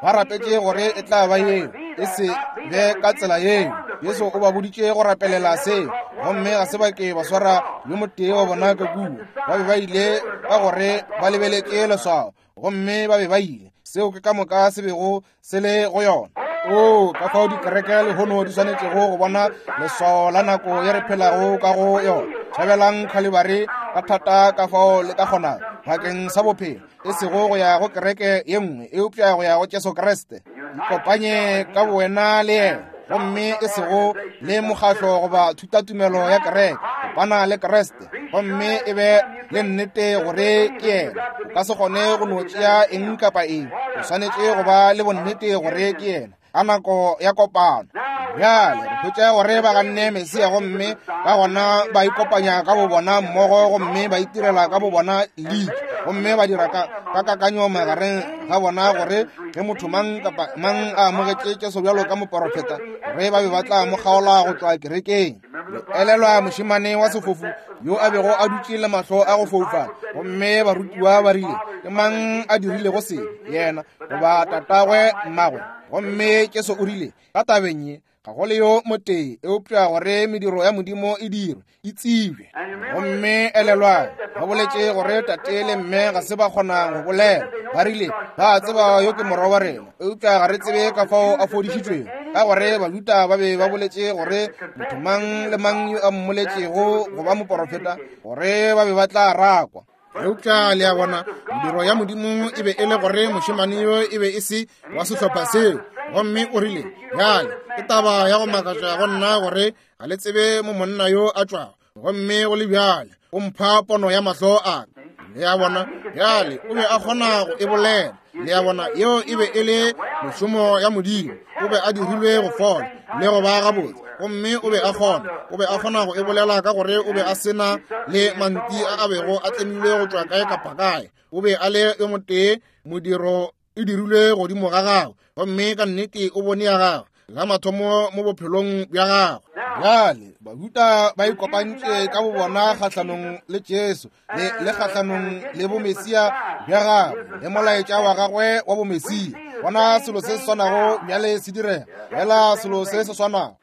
B: ba rapetše gore e tla ba yeo, e se be ka tsela yeo. Jesu o ba boditše go rapelela seo, gomme ga se ba ke ba swara yo motee wa bona ka kua. Ba be ba ile ka gore ba lebeletše leswao, gomme ba be ba ile. Seo ke ka moka se bego se le go yona. O ka fao dikereke lehono di swanetšego go bona leswao la nako ye re phelago ka go yona. Tšhabelang Khalibari ka thata ka fao le ka kgonago bakeng sa bophelo, e sego go ya go kereke ye nngwe, eupša go ya go Jesu Kriste. Ikopanye ka bowena le yena, gomme e sego le mokgahlo goba thutatumelo ya kereke. Kopana le Kriste gomme e be le nnete gore ke yena. O ka se kgone go no tšea eng kapa eng, o swanetše go ba le bonnete gore ke yena ka nako ya kopano. Bjale re hwetša gore ba ganne Mesia, gomme ka gona ba ikopanya ka bo bona mmogo, gomme ba itirela ka bo bona league, gomme ba dira ka ka kakanyo magareng ga bona gore ge motho mang kapa mang a amogetše Jesu bjalo ka moporofeta, gore ba be ba tla mo kgaola go tšwa kerekeng. Le elelwa mošemane wa sefofu yo a bego a dutše le mahlo a go foufala, gomme barutiwa ba rile, ke mang a dirilego se, yena goba tatagwe mmagwe? Gomme Jesu o rile, ka tabeng ye ga go le yo motee, eupša gore mediro ya Modimo e dirwe e tsebje. Gomme elelwang, ba boletše gore tate le mme ga se ba kgona go bolela. Ba rile, ba tseba yo ke morwa wa rena, eupša ga re tsebe ka fao a fodišitšwego, ka gore Bajuda ba be ba boletše gore motho mang le mang yo a mmoletšego go ba moporofeta, gore ba be ba tla rakwa. Eupša le a bona, mediro ya Modimo e be e le gore mošemane yo e be e se wa sehlopha seo. Gomme o rile, bjale ke taba ya go makatša go nna gore ga le tsebe mo monna yo a tšwago, gomme go le bjale o mpha pono ya mahlo a ka. Le a bona, bjale o be a kgona go e bolela. Le a bona, yeo e be e le mešomo ya Modimo. O be a dirilwe go fola le go ba gabotse, gomme o be a kgona o be a kgona go e bolela ka gore o be a sena le manti a a bego a tlemilwe go tšwa kae kapa kae. O be a le yo motee, modiro e dirilwe godimo ga gagwe, gomme ka nnete o bone ya gagwe la mathomo mo bophelong bja gagwe. Bjale Bajuda ba ikopantše ka bo bona kgahlanong le Jesu le le kgahlanong le bomesia bja gagwe le molaetša wa gagwe wa bomesia. Bona selo se se swanago bjale se direga, fela selo se se swanago.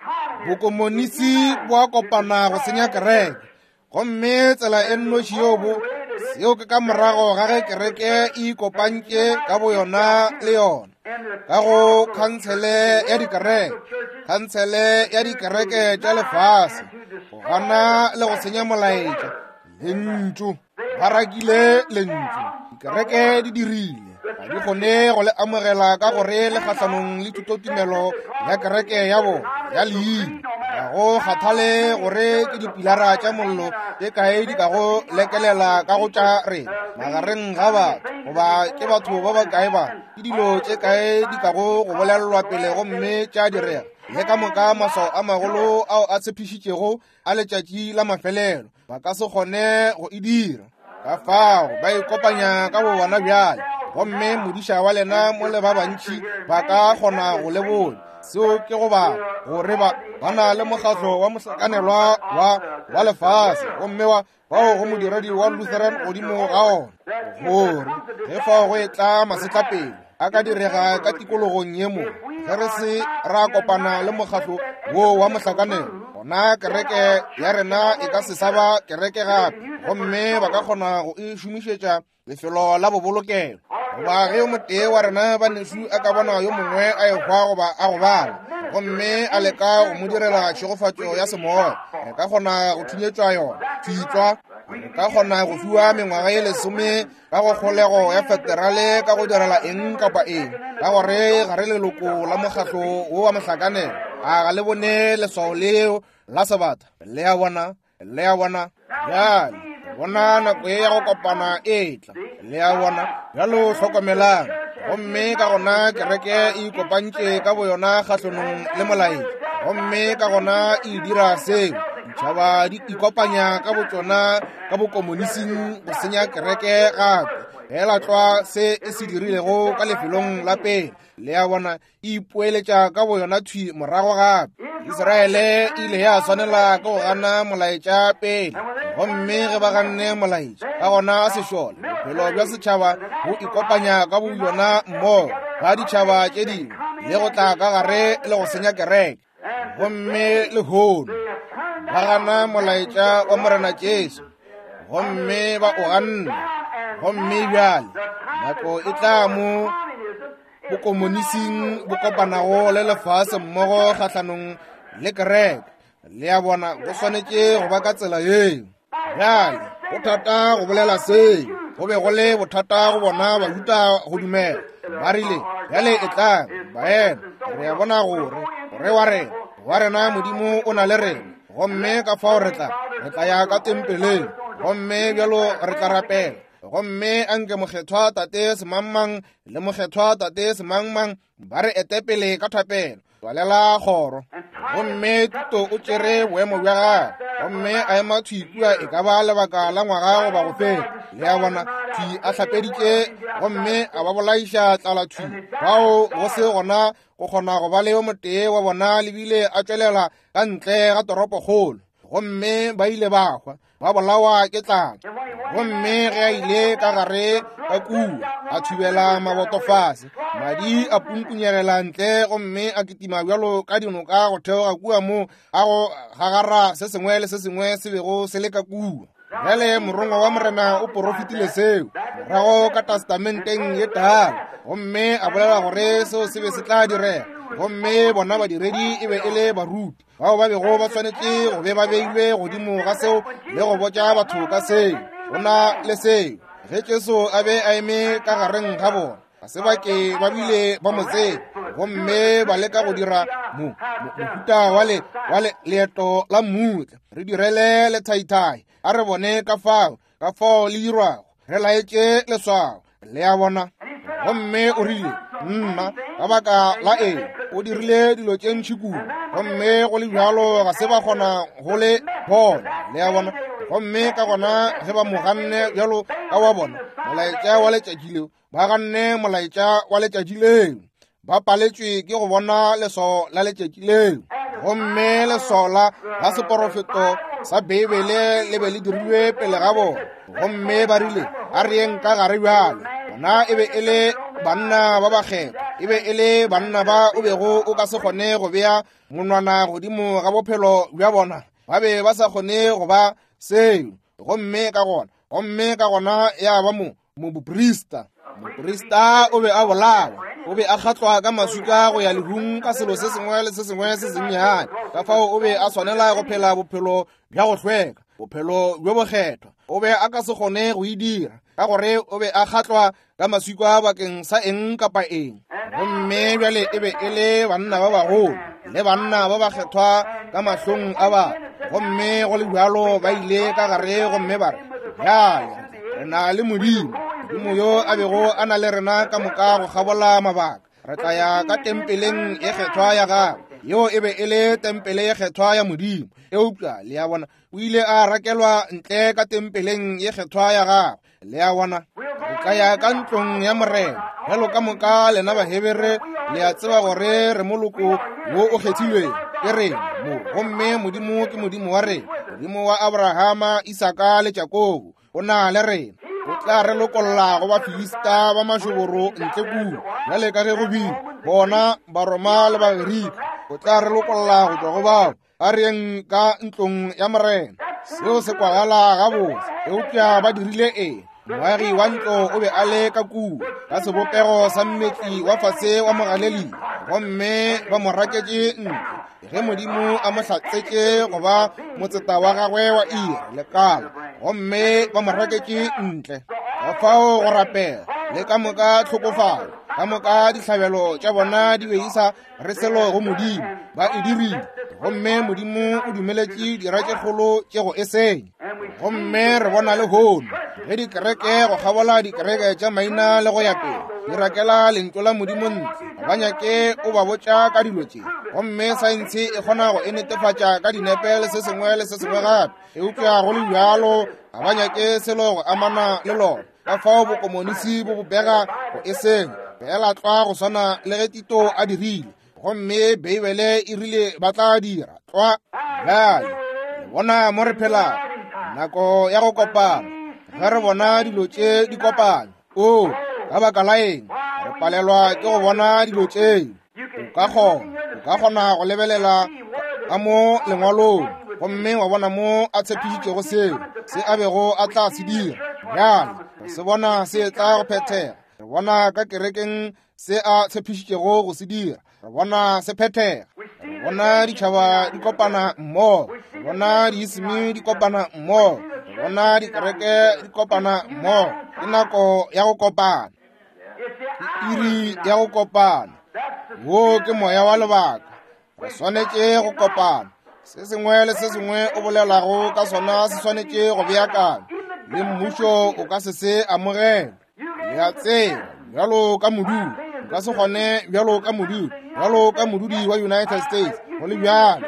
B: Bokomonisi bo a kopana go senya kereke, gomme tsela e nnoši yeo bo seo ke ka morago ga ge kereke e ikopantše ka boyona le yona ka go khansele ya dikereke, khansele ya dikereke tša lefase, go gana le go senya molaetša. Lentšu, ba rakile lentšu. Dikereke di dirile, ga di kgone go le amogela ka gore le kgahlanong le thutotumelo ya kereke ya bona ya leina. Ga go kgathale gore ke dipilara tša mollo tše kae di ka go lekelela ka go tša rena magareng ga batho, goba ke batho ba bakae ba, ke dilo tše kae di ka go go bolelelwa pele gomme tša direga, le ka moka maswao a magolo ao a tshepišitšego a letšatši la mafelelo, ba ka se kgone go e dira. Ka fao ba ikopanya ka bo bona bjale, gomme modiša wa lena mo le ba bantši ba ka kgona go le botša seo ke go ba gore ba ba na le mokgatlo wa mohlakanelwa wa wa lefase, gomme wa bao go modiredi wa Lutheran godimo ga ona, gore ge fao go e tla masetlapelo a ka direga ka tikologong ye mo, ge re se ra kopana le mokgatlo wo wa mohlakanelo, gona kereke ya rena e ka se sa ba kereke gape, gomme ba ka kgona go e šomišetša lefelo la bobolokelo. Goba ge yo motee wa rena banešu a ka bona yo mongwe a ehwa goba a gobala, gomme a leka go mo direla tšhegofatšo ya semoya, re ka kgona go thunyetšwa yona thitswa. Re ka kgona go fiwa mengwaga ye lesome ka go kgolego ya federale ka go direla eng kapa eng, ka gore ga re leloko la mokgatlo wo wa mohlakanelo. A ga le bone leswao leo la sebata? Le a bona, le a bona. Bjale bona nako ye ya go kopana e tla. Le a bona. Bjalo hlokomelang. Gomme ka gona kereke e ikopantše ka boyona kgahlanong le molaetša, gomme ka gona e dira seo. Ditšhaba di ikopanya ka botšona ka bokomonising go senya kereke gape, fela tlwa se e se dirilego ka lefelong la pele. Le a bona, e ipoeletša ka boyona thwi morago gape. Israele e ile ya swanela ke go gana molaetša pele, gomme ge ba ganne molaetša, ka gona sešole, bophelo bja setšhaba bo ikopanya ka boyona mmogo ga ditšhaba tše dingwe le go tla ka gare le go senya kereke. Gomme lehono ba gana molaetša wa Morena Jesu, gomme ba o ganne. Gomme bjale nako e tla mo bokomonising bo kopanago le lefase mmogo kgahlanong le kereke. Le a bona, go swanetše go ba ka tsela yeo. Bjale go thata go bolela seo, go be go le bothata go bona Bajuda go dumela. Ba rile, bjale e tlang baena, re a bona gore gore wa rena wa rena Modimo o na le rena, gomme ka fao re tla re tla ya ka tempeleng, gomme bjalo re tla rapela, gomme anke mokgethwa tate semangmang le mokgethwa tate semangmang ba re etepele ka thapelo. Tswalela kgoro. Gomme Tito o tšere boemo bja gagwe, gomme a ema thwi kua e ka ba lebaka la ngwaga goba go feta. Le a bona, thwi a hlapeditše gomme a ba bolaiša tlala thwi bao go se gona go kgona go ba le yo motee wa bona lebile a tšwelela ka ntle ga toropokgolo, gomme ba ile ba hwa, ba bolawa ke tlala. Gomme ge a ile ka gare ka kua, a thubela maboto fase, madi a pumpunyegela ntle, gomme a kitima bjalo ka dinoka go theoga kua mo a go gagara se sengwe le se sengwe se bego se le ka kua. Bjale morongwa wa Morena o porofetile seo morago ka testamenteng ye tala, gomme a bolela gore seo se be se tla direga. Gomme bona badiredi e be e le baruti bao ba bego ba swanetše go be ba beilwe godimo ga seo le go botša batho ka seo. Go na le seo ge Jesu a be a eme ka gareng ga bona, ga se ba ke ba bile ba mo tseba, gomme ba leka go dira mo mohuta wa le wa le leeto la mmutla. Re direle lethaithai, a re bone ka fao ka fao le dirwago, re laetše leswao. Le a bona. Gomme o rile, nna ka baka la eng o dirile dilo tše ntši kudu, gomme go le bjalo ga se ba kgona go le bona. Le a bona. Gomme ka gona ge ba mo ganne bjalo ka wa bona molaetša wa letšatši leo, ba ganne molaetša wa letšatši leo, ba paletšwe ke go bona leswao la letšatši leo. Gomme leswao la la seporofeto sa Beibele le be le dirilwe pele ga bona, gomme ba rile, a re yeng ka gare bjale. Bona e be e le banna ba bakgethwa, e be e le banna ba o bego o ka se kgone go bea monwana godimo ga bophelo bja bona, ba be ba sa kgone go ba seo. Gomme ka gona gomme ka gona ya ba mo moprista. Moprista o be a bolawa, o be a kgatlwa ka maswika go ya lehung ka selo se sengwe le se sengwe se sennyane. Ka fao o be a swanela go phela bophelo bja go hlweka, bophelo bjo bokgethwa. O be a ka se kgone go e dira ka gore o be a kgatlwa ka maswika bakeng sa eng kapa eng. Gomme bjale e be e le banna ba bagolo le banna ba bakgethwa ka mahlong a batho, gomme go le bjalo ba ile ka gare gomme ba re, bjale re na le Modimo, Modimo yo a bego a na le rena ka moka go kgabola mabaka. Re tla ya ka tempeleng e kgethwa ya gagwe. Yeo e be e le tempele e kgethwa ya Modimo. Eupša le a bona, o ile a rakelwa ntle ka tempeleng e kgethwa ya gagwe. Le a bona, re tla ya ka ntlong ya Morena. Bjalo ka moka lena Bahebere le a tseba gore re moloko wo o kgethilweng ke rena mo, gomme Modimo ke Modimo wa rena, Modimo wa Abrahama, Isaka le Jakobo, o na le rena. O tla re lokolla go Bafilista ba mašoboro ntle kua, bjale ka ge go bile bona Baroma le Bagerika. O tla re lokolla go tšwa go bao. A re yeng ka ntlong ya Morena. Seo se kwagala gabotse, eupša ba dirile eng? Moagi wa ntlo o be a le ka kua ka sebopego sa mmetli wa fase wa Mogalilea, gomme ba mo raketše ntle ge Modimo a mo hlatsetše go ba motseta wa gagwe wa iri lekala. gomme ba mo raketše ntle. Ka fao go rapela le ka moka tlhokofalo, ka moka dihlabelo tša bona di be di sa re selo go Modimo, ba e dirile, gomme Modimo o dumeletše dira tše kgolo tše go e senya. Gomme re bona lehono ge dikereke go kgabola dikereke tša maina le go ya pele di rakela lentšu la Modimo ntle, ba nyake o ba botša ka dilo tše, gomme saense e kgona go e netefatša ka dinepe le se sengwe le se sengwe gape, eupša go le bjalo ga ba nyake selo go amana le lona. Ka fao bokomonisi bo bobega go e senya fela tlwa go swana le ge Tito a dirile, gomme Beibele e rile ba tla dira tlwa. Bjale le bona mo re phelago, nako ya go kopana, ge re bona dilo tše di kopana, o ka baka la eng re palelwa ke go bona dilo tše? O ka kgona, o ka kgona go lebelela ka mo lengwalong gomme wa bona mo a tshepišitšego seo se a bego a tla se dira. Bjale re se bona se tla go phethega, re bona ka kerekeng se a tshepišitšego go se dira, re bona se phethega, re bona ditšhaba di kopana mmogo, re bona diisimi di kopana mmogo, re bona dikereke di kopana mmogo. Ke nako ya go kopana, ke iri ya go kopana. Wo ke moya wa lebaka, re swanetše go kopana. Se sengwe le se sengwe o bolelago ka sona se swanetše go beakanywa, le mmušo o ka se se amogele. Le a tseba, bjalo ka modudi, o ka se kgone bjalo ka modudi, bjalo ka modudi wa United States, go le bjalo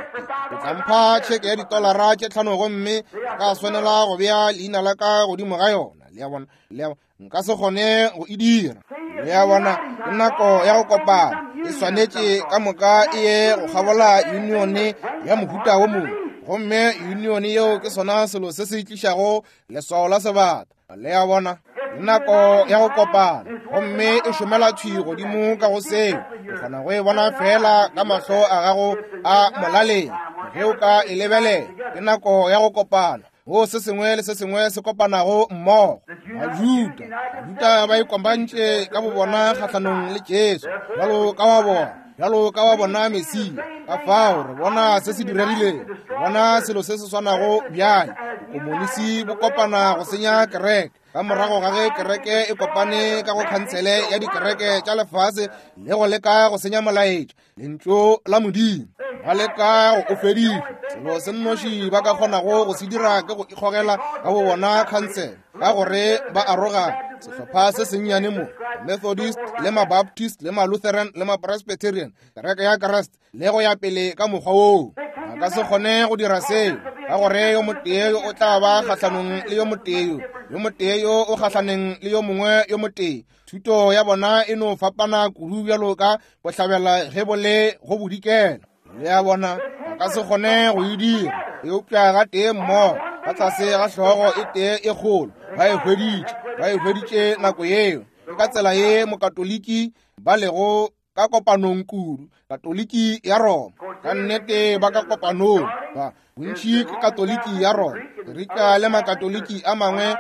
B: o tla mpha tšheke ya ditolara tše tlhano gomme ka swanela go bea leina la ka godimo ga yona. Le a bona, le a bona, nka se kgone go e dira. Le a bona, ke nako ya go kopana, e swanetše ka moka e ye go kgabola unione ya mohuta wo mongwe, gomme unione yeo ke sona selo se se tlišago leswao la sebata. Le a bona, ke nako ya go kopana, gomme e šomela thwi godimo ka go seo. O kgona go e bona fela ka mahlo a gago a molaleng ge o ka e lebelela. Ke nako ya go kopana, go se sengwe le se sengwe se kopanago mmogo. Bajuda, Bajuda ba ikopantše ka bobona kgahlanong le Jesu, bjalo ka wa bona, bjalo ka wa bona Mesia. Ka fao re bona se se diregileng, re bona selo se se swanago bjale. Bokomonisi bo kopana go senya kereke. Ka morago ga ge kereke e kopane ka go khansele ya dikereke tša lefase le go leka go senya molaetša, lentšu la Modimo, ba leka go o fediša. Selo se nnoši ba ka kgonago go se dira ke go ikgogela ka bo bona khansele, ka gore ba arogana sehlopha se sennyane mo, Methodist le ma-Baptist le ma-Lutheran le ma-Presbyterian, kereke ya Kriste le go ya pele ka mokgwa woo. Ba ka se kgone go dira seo, ka gore yo motee yo o tla ba kgahlanong le yo motee yo, yo motee yo o kgahlaneng le yo mongwe yo motee. Thuto ya bona e no fapana kudu bjalo ka bohlabela ge bo le go bodikela. Le a bona, ba ka se kgone go e dira, eupša ga tee mmogo ka tlase ga hlogo e tee e kgolo ba e hweditše, ba e hweditše nako yeo. Ke ka tsela ye mokatoliki ba lego ka kopanong kudu, Katoliki ya Roma. Ka nnete ba ka kopanong, ba bontši ke Katoliki ya Roma. Gerika le makatoliki a mangwe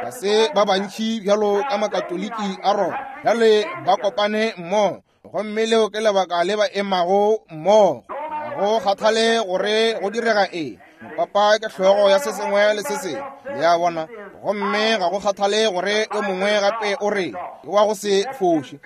B: ga se ba bantši bjalo ka makatoliki a Roma. Bjale ba kopane mmogo, gomme leo ke lebaka le ba emago mmogo. Ga go kgathale gore go direga eng, mopapa ke hlogo ya se sengwe le se sengwe. Le a bona, gomme ga go kgathale gore yo mongwe gape o re ke wa go se foše,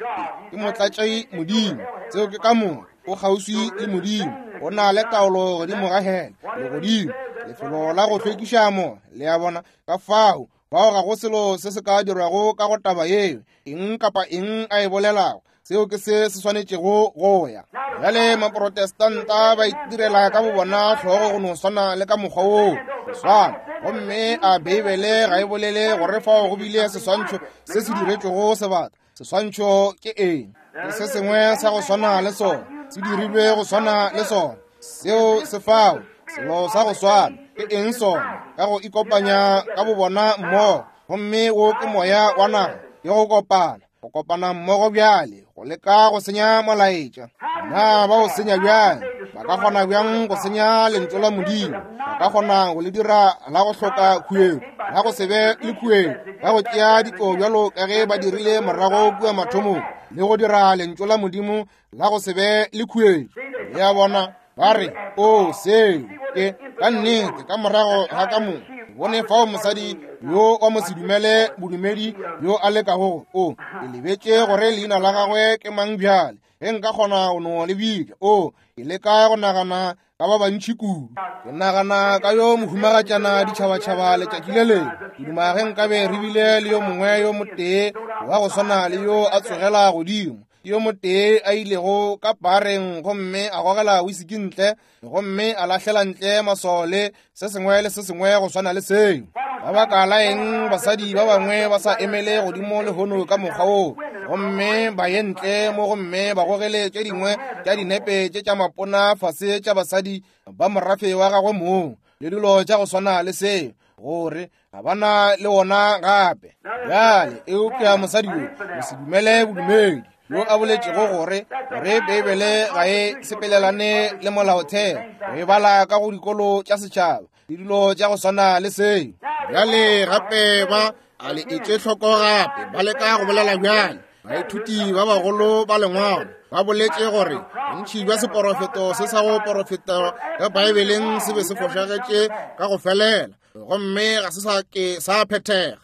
B: ke motlatši Modimo. Seo ke ka moka, o kgauswi le Modimo, o na le taolo godimo ga hele le godimo, lefelo la go hlwekiša mo. Le a bona, ka fao bao ga go selo se se ka dirwago ka go taba yeo. Eng kapa eng a e bolelago, seo ke se se swanetšego go ya. Bjale maprotestanta ba itirela ka bobona hlogo go no swana le ka mokgwa woo swana, gomme a Beibele ga e bolele gore fao go bile seswantšho se se diretšwego sebata. Seswantšho ke eng? Ke se sengwe sa go swana le sona, se dirilwe go swana le sona. Seo se fao, selo sa go swana. Ke eng sona? Ka go ikopanya ka bobona mmogo, gomme wo ke moya wa naga, ke go kopana, go kopana mmogo bjale, go leka go senya molaetša. Na ba o senya bjang? Ba ka kgona bjang go senya lentšu la Modimo? Ba ka kgona go le dira la go hloka khuetšo, la go se be le khuetšo, ka go tšea ditlo bjalo ka ge ba dirile morago kua mathomong, le go dira lentšu la Modimo la go se be le khuetšo. Le a bona, ba re, o seo ke ka nnete ka morago ga ka mo Bone fao mosadi yo wa mosedumele bodumedi yo a lekago o ke lebetše gore leina la gagwe ke mang bjale. Ge nka kgona go no le bitša, o ke leka go nagana ka ba bantši kudu. Ke nagana ka yo mohumagatšana ditšhabatšhaba letšatši le lengwe. Ke duma ge nkabe re bile le yo mongwe yo motee wa go swana le yo a tsogela godimo, yo motee a ilego ka pareng gomme a gogela wisiki ntle gomme a lahlela ntle maswao le se sengwe le se sengwe go swana le seo. Ka baka la eng basadi ba bangwe ba sa emele godimo lehono ka mokgwa woo, gomme ba ye ntle mo gomme ba gogele tše dingwe tša dinepe tše tša mapona fase tša basadi ba morafe wa gagwe mong le dilo tša go swana le seo, gore ga bana le wona gape. Bjale eupša mosadi yo o se dumele bodumedi yo a boletšego gore gore Beibele ga e sepelelane le molaotheo, go e bala ka go dikolo tša setšhaba le dilo tša go swana le seo.
A: Bjale gape ba a le etše hloko gape ba leka go bolela bjale. Baithuti ba bagolo ba lengwalo ba boletše gore bontši bja seporofeto se sa go porofeta ka Baebeleng se be se fošagetše ka go felela, gomme ga se sa ke sa phethega.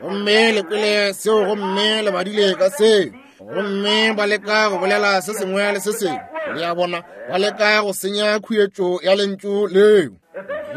A: Gomme le kwele seo gomme le badile ka seo, gomme ba leka go bolela se sengwe le se sengwe. Le a bona, ba leka go senya khuetšo ya lentšu leo.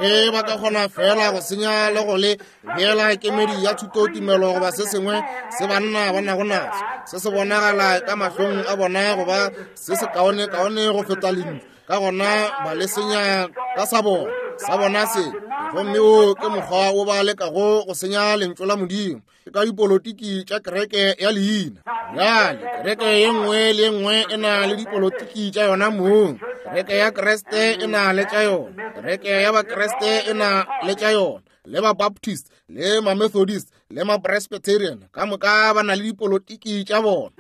A: Ge ba ka kgona fela go senya le go le beela kemedi ya thutotumelo goba se sengwe se banna ba nago naso, se se bonagala ka mahlong a bona goba se se kaone-kaone go feta lentšu, ka gona ba le senya ka sa bona sa bona se. Gomme o ke mokgwa wo ba lekago go senya lentšu la Modimo, ke ka dipolotiki tša kereke ya leina. Bjale kereke ye nngwe le ye nngwe e na le dipolotiki tša yona mong. Kereke ya Kriste e na le tša yona, kereke ya Bakriste e na le tša yona, le ba-Baptist le ma-Methodist le ma-Presbyterian ka moka ba na le dipolotiki tša bona.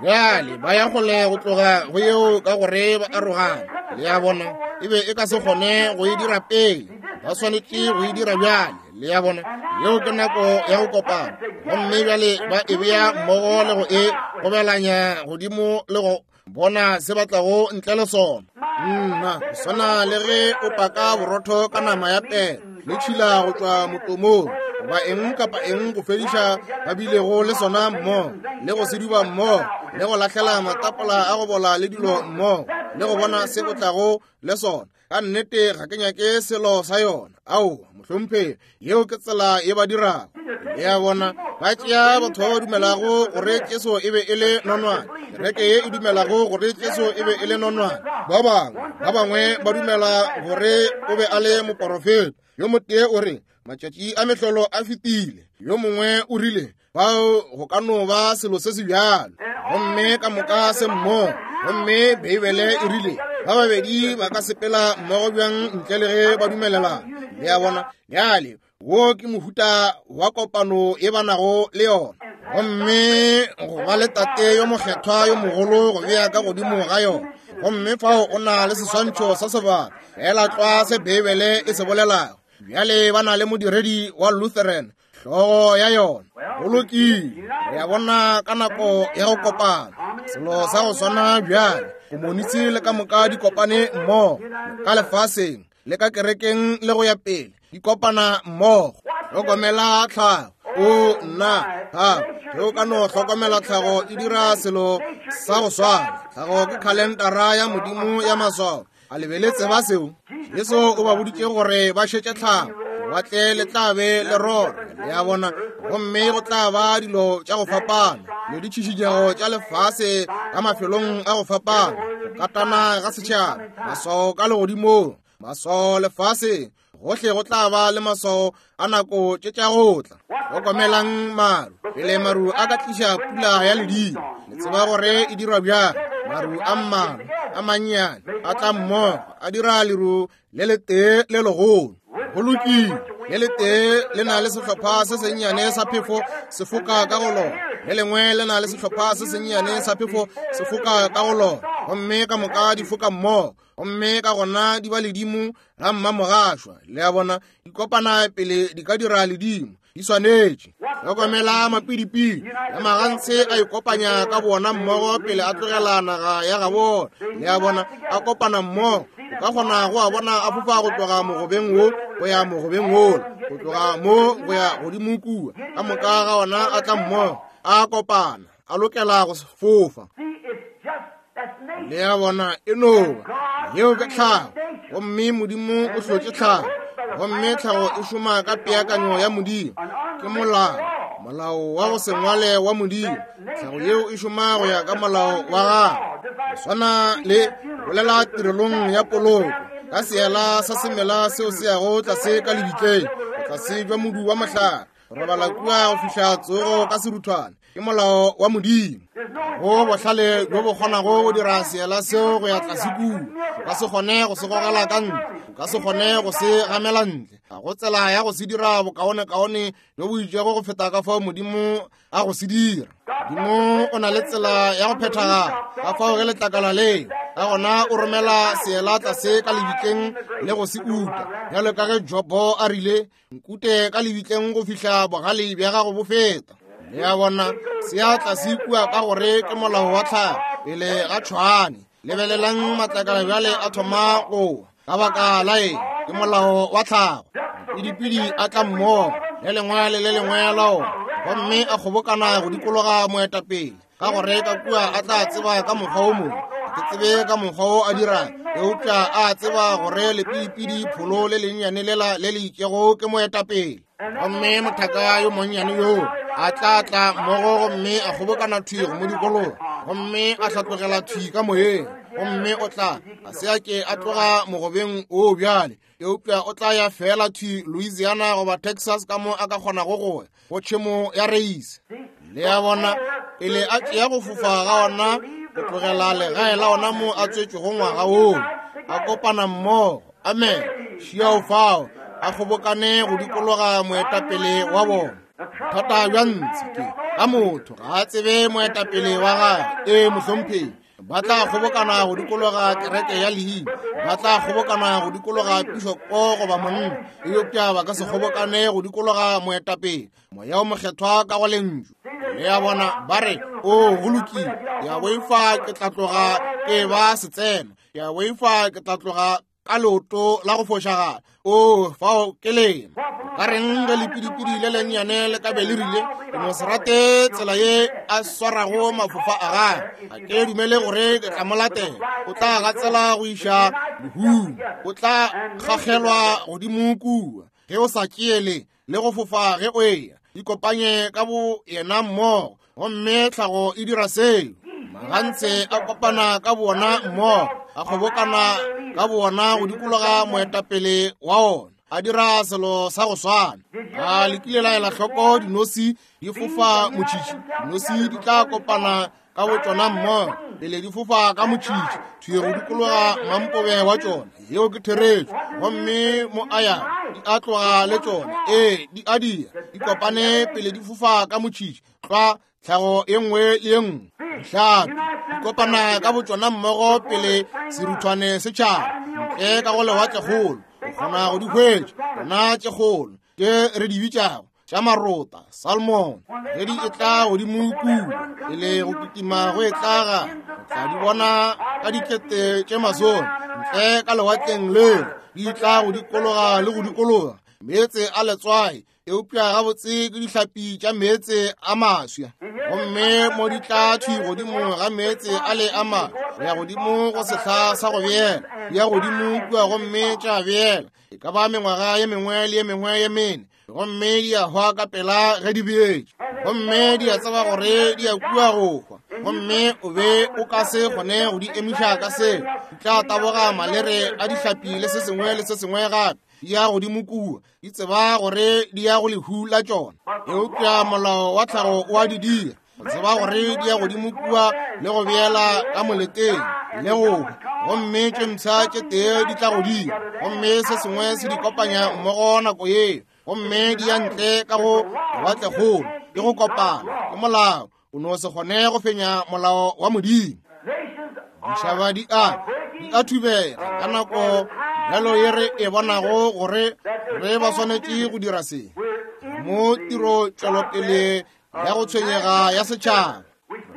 A: Bjale ba ya kgole go tloga go yeo ka gore ba arogane. Le a bona, e be e ka se kgone go e dira pele, ba swanetše go e dira bjale. Le a bona, yeo ke nako ya go kopana, gomme bjale ba e bea mmogo le go e gobelanya godimo le go bona se batlago ntle le sona. Nna go swana le ge o paka borotho ka nama ya pele le tšhila go tšwa motomong goba eng kapa eng go fediša ba bilego le sona mmogo, le go se duba mmogo, le go lahlela matapola a go bola le dilo mmogo, le go bona se o tlago le sona. Ka nnete ga ke nyake selo sa yona. Aowa mohlomphegi, yeo ke tsela ye ba dirago. Le a bona, ba tšea batho ba ba dumelago gore Jesu e be e le nonwane, kereke ye e dumelago gore Jesu e be e le nonwane. Ba bangwe ba bangwe ba dumela gore o be a le moporofeta. Yo motee o re matšatši a mehlolo a fetile, yo mongwe o rile bao go ka no ba selo se se bjalo, gomme ka moka se mmogo. Gomme Beibele e rile ba babedi ba ka sepela mmogo bjang ntle le ge ba dumelelana. Le a bona, bjale wo ke mohuta wa kopano ye ba nago le yona, gomme go ba le tate yo mokgethwa yo mogolo go bea ka godimo ga yona. Gomme fao o na le seswantšho sa sebaka fela tlwa se Beibele e se bolelago. Bjale ba na le modiredi wa Lutheran hlogo ya yona. Go lokile, re a bona ka nako ya go kopana selo sa go swana bjale. Komonisi le ka moka di kopane mmogo ka lefaseng le ka kerekeng le go ya pele, di kopana mmogo. Hlokomela tlhago. O nna tlhago, ge o ka no hlokomela tlhago e dira selo sa go swana. Tlhago ke khalentara ya Modimo ya maswao. A le be le tseba seo? Jesu o ba boditše gore ba šetše tlhago, lewatle le tla be le rora. Le a bona, gomme go tla ba dilo tša go fapana le ditšhišinyego tša lefase ka mafelong a go fapana, go katana ga setšhaba, maswao ka legodimong, maswao lefaseng, gohle go tla ba le maswao a nako tše tša go tla. Hlokomelang maru, pele maru a ka tliša pula ya ledimo. Le tseba gore e dirwa bjang. Maru a mmalwa a mannyane a tla mmogo a dira leru le letee le legolo. Go lokile, le letee le na le sehlopha se sennyane sa phefo se foka ka go lona, le lengwe le na le sehlopha se sennyane sa phefo se foka ka go lona, gomme ka moka di foka mmogo, gomme ka gona di ba ledimo la mmamogašwa. Le a bona, di kopana pele di ka dira ledimo, di swanetše. Hlokomela mapidipidi ya magantshe a ikopanya ka bona mmogo pele a tlogela naga ya gabona. Le a bona, a kopana mmogo. O ka kgona go a bona a fofa go tloga mogobeng wo go ya mogobeng wola. Go tloga mo go ya godimo kua, ka moka ga ona a tla mmogo, a kopana, a lokela go fofa. Le a bona, e no ba yeo ke tlhago, gomme Modimo o hlotše tlhago, gomme tlhago e šoma ka peakanyo ya Modimo. Ke molao, molao wa go se ngwale wa Modimo. Tlhago yeo e šoma go ya ka molao wa gagwe. Go swana le bolela tirelong ya poloko ka seela sa semela seo se yago tlase ka lebitleng, tlase bja modu wa mohlare, robala kua go fihla tsogo ka seruthwane. Ke molao wa Modimo. Go bohlale bjo bo kgonago go dira seela seo go ya tlase kua. O ka se kgone go se gogela ka ntle, o ka se kgone go se gamela ntle. Ga go tsela ya go se dira bokaonekaone bjo bo itšego go feta ka fao Modimo a go se dira. Modimo o na le tsela ya go phethagala ka fao ge letlakala leo, ka gona o romela seela tlase ka lebitleng le go se uta. Bjalo ka ge Jobo a rile, nkute ka lebitleng go fihla bogale bja gago bo feta. Le a bona, se a tlase kua ka gore ke molao wa tlhago pele ga tšhwane. Lebelelang matlakala bjale a thoma go ka baka la eng? Ke molao wa tlhago. Pidipidi a tla mmogo le lengwe le le lengwe la ona, gomme a kgobokana go dikologa moetapele, ka gore ka kua a tla tseba ka mokgwa o mongwe. Ke tsebe ka mokgwa o a dirang, eupša a tseba gore lepidipidi pholo le lennyane lela le le itšego ke moetapele. Gomme mothaka yo monnyane yoo a tla tla mmogo gomme a kgobokana thwi go mo dikologa, gomme a hlatlogela thwi ka moyeng, gomme o tla a se a ke a tloga mogobeng o bjale, eupša o tla ya fela thwi Louisiana goba Texas ka mo a ka kgonago go ya go tšhemo ya reise. Le a bona, pele a tšea go fofa ga ona go tlogela legae la ona mo a tswetšwego ngwaga woo, a kopana mmogo. Amen. Šiao fao a kgobokane go dikologa moetapele wa bona. Bothata bja ntshe ke ka motho ga a tsebe moetapele wa gagwe. Ee, mohlomphegi. Ba tla kgobokana go dikologa kereke ya leina, ba tla kgobokana go dikologa pišopo goba monna, eupša ba ka se kgobokane go dikologa moetapele, Moya o Mokgethwa ka go lentšu. Le a bona, ba re, o go lokile, ke a boifa ke tla tloga ke ba setseno, ke a boifa ke tla tloga ka leoto la go fošagala. O fao ke lena. Ka reng ge lepidipidi le lennyane le ka be le rile, ke no se rate tsela ye a swarago mafofa a gagwe, ga ke dumele gore ke tla mo latela. O tla gatsela go iša lehung, o tla kgagelwa godimo kua ge o sa tšeele le go fofa ge o eya. Ikopanye ka bo yena mmogo, gomme tlhago e dira seo. Magantse a kopana ka bona mmogo, a kgobokana ka bona go dikologa moetapele wa ona, a dira selo sa go swana. A le kile la ela hloko dinosi di fofa motšhitšhi? Dinosi di tla kopana ka bo tšona mmogo pele di fofa ka motšhitšhi thwi go dikologa mampobe wa tšona. Yeo ke therešo. Gomme mo a yago di a tloga le tšona. Ee, di a dia, di kopane pele di fofa ka motšhitšhi tlwa tlhago ye nngwe le ye nngwe. Dihlapi di kopana ka botšona mmogo pele seruthwane se tšhaba ntle ka go lewatlekgolo. O kgona go di hwetša tšona tše kgolo tše re di bitšago tša marota, salmon, ge di etla godimo kua pele go kitima go etla ga, o tla di bona ka dikete tše masome ntle ka lewatleng leo, di tla go dikologa le go dikologa meetse a letswai, eupša gabotse ke dihlapi tša meetse a maswa. Gomme mo di tla thwi godimo ga meetse a le a maswa, go ya godimo go sehla sa go beela, di ya godimo kua gomme tša beela e ka ba mengwaga ye mengwe le ye mengwe ye mene, gomme di a hwa ka pela ge di beetše. Gomme di a tseba gore di ya kua go hwa, gomme o be o ka se kgone go di emiša ka seo. Di tla taboga malere a dihlapi le se sengwe le se sengwe gape, di ya godimo kua, di tseba gore di ya go lehu la tšona. Eupša molao wa tlhago o a di dira go tseba gore di ya godimo kua le go beela ka moleteng le go hwa, gomme tše mpsha tše tee di tla godimo, gomme se sengwe se di kopanya mmogo nako yeo, gomme di ya ntle ka go lewatlekgolo. Ke go kopana, ke molao. O no se kgone go fenya molao wa Modimo. Ditšhaba di a di a thubega ka nako bjalo ye re e bonago gore re ba swanetše go dira se mo tiro tšwelopele ya go tshwenyega ya setšhaba.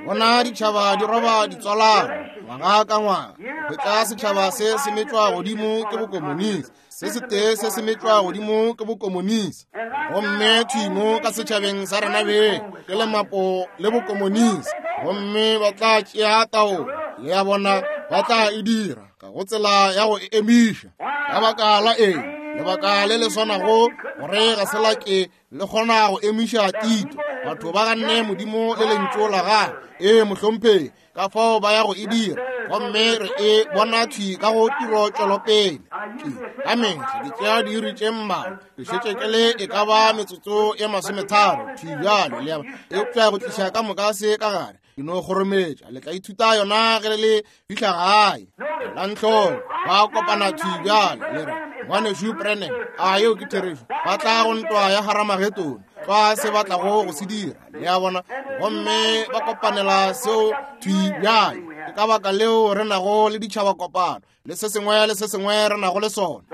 A: Bona ditšhaba di roba ditswalano ngwaga ka ngwaga, Hwetša setšhaba se se metšwa godimo ke bokomonisi, se setee se se metšwa godimo ke bokomonisi. Gomme thwi mo ka setšhabeng sa rena beng ke lemapo le bokomonisi, gomme ba tla tšea taolo. Le a bona, ba tla e dira ka go tsela ya go e emiša. Ka baka la eng? Lebaka le le swanago gore ga se la ke le kgona go emiša Tito. Batho ba ganne Modimo le lentšu la gagwe. Ee, mohlomphegi, ka fao ba ya go e dira. Gomme re e bona thwi ka go tiro tšwelopele. Ke ka mehla ke tšea diiri tše mmalwa, ke šetše ke le e ka ba metsotso ye masometharo thwi bjalo, le a bona, eupša go tliša ka moka se ka gare, ke no kgorometša. Le tla ithuta yona ge le le fihla gae. Elang hloko, ba kopana thwi bjalo, le re, Ngwanešu Branham, a yeo ke therešo? Ba tla go ntwa ya Haramagedone, tlwa se ba tlago go se dira, le a bona, gomme ba kopanela seo thwi bjale. Ke ka baka leo re nago le ditšhaba kopano le se sengwe le se sengwe re nago le sona.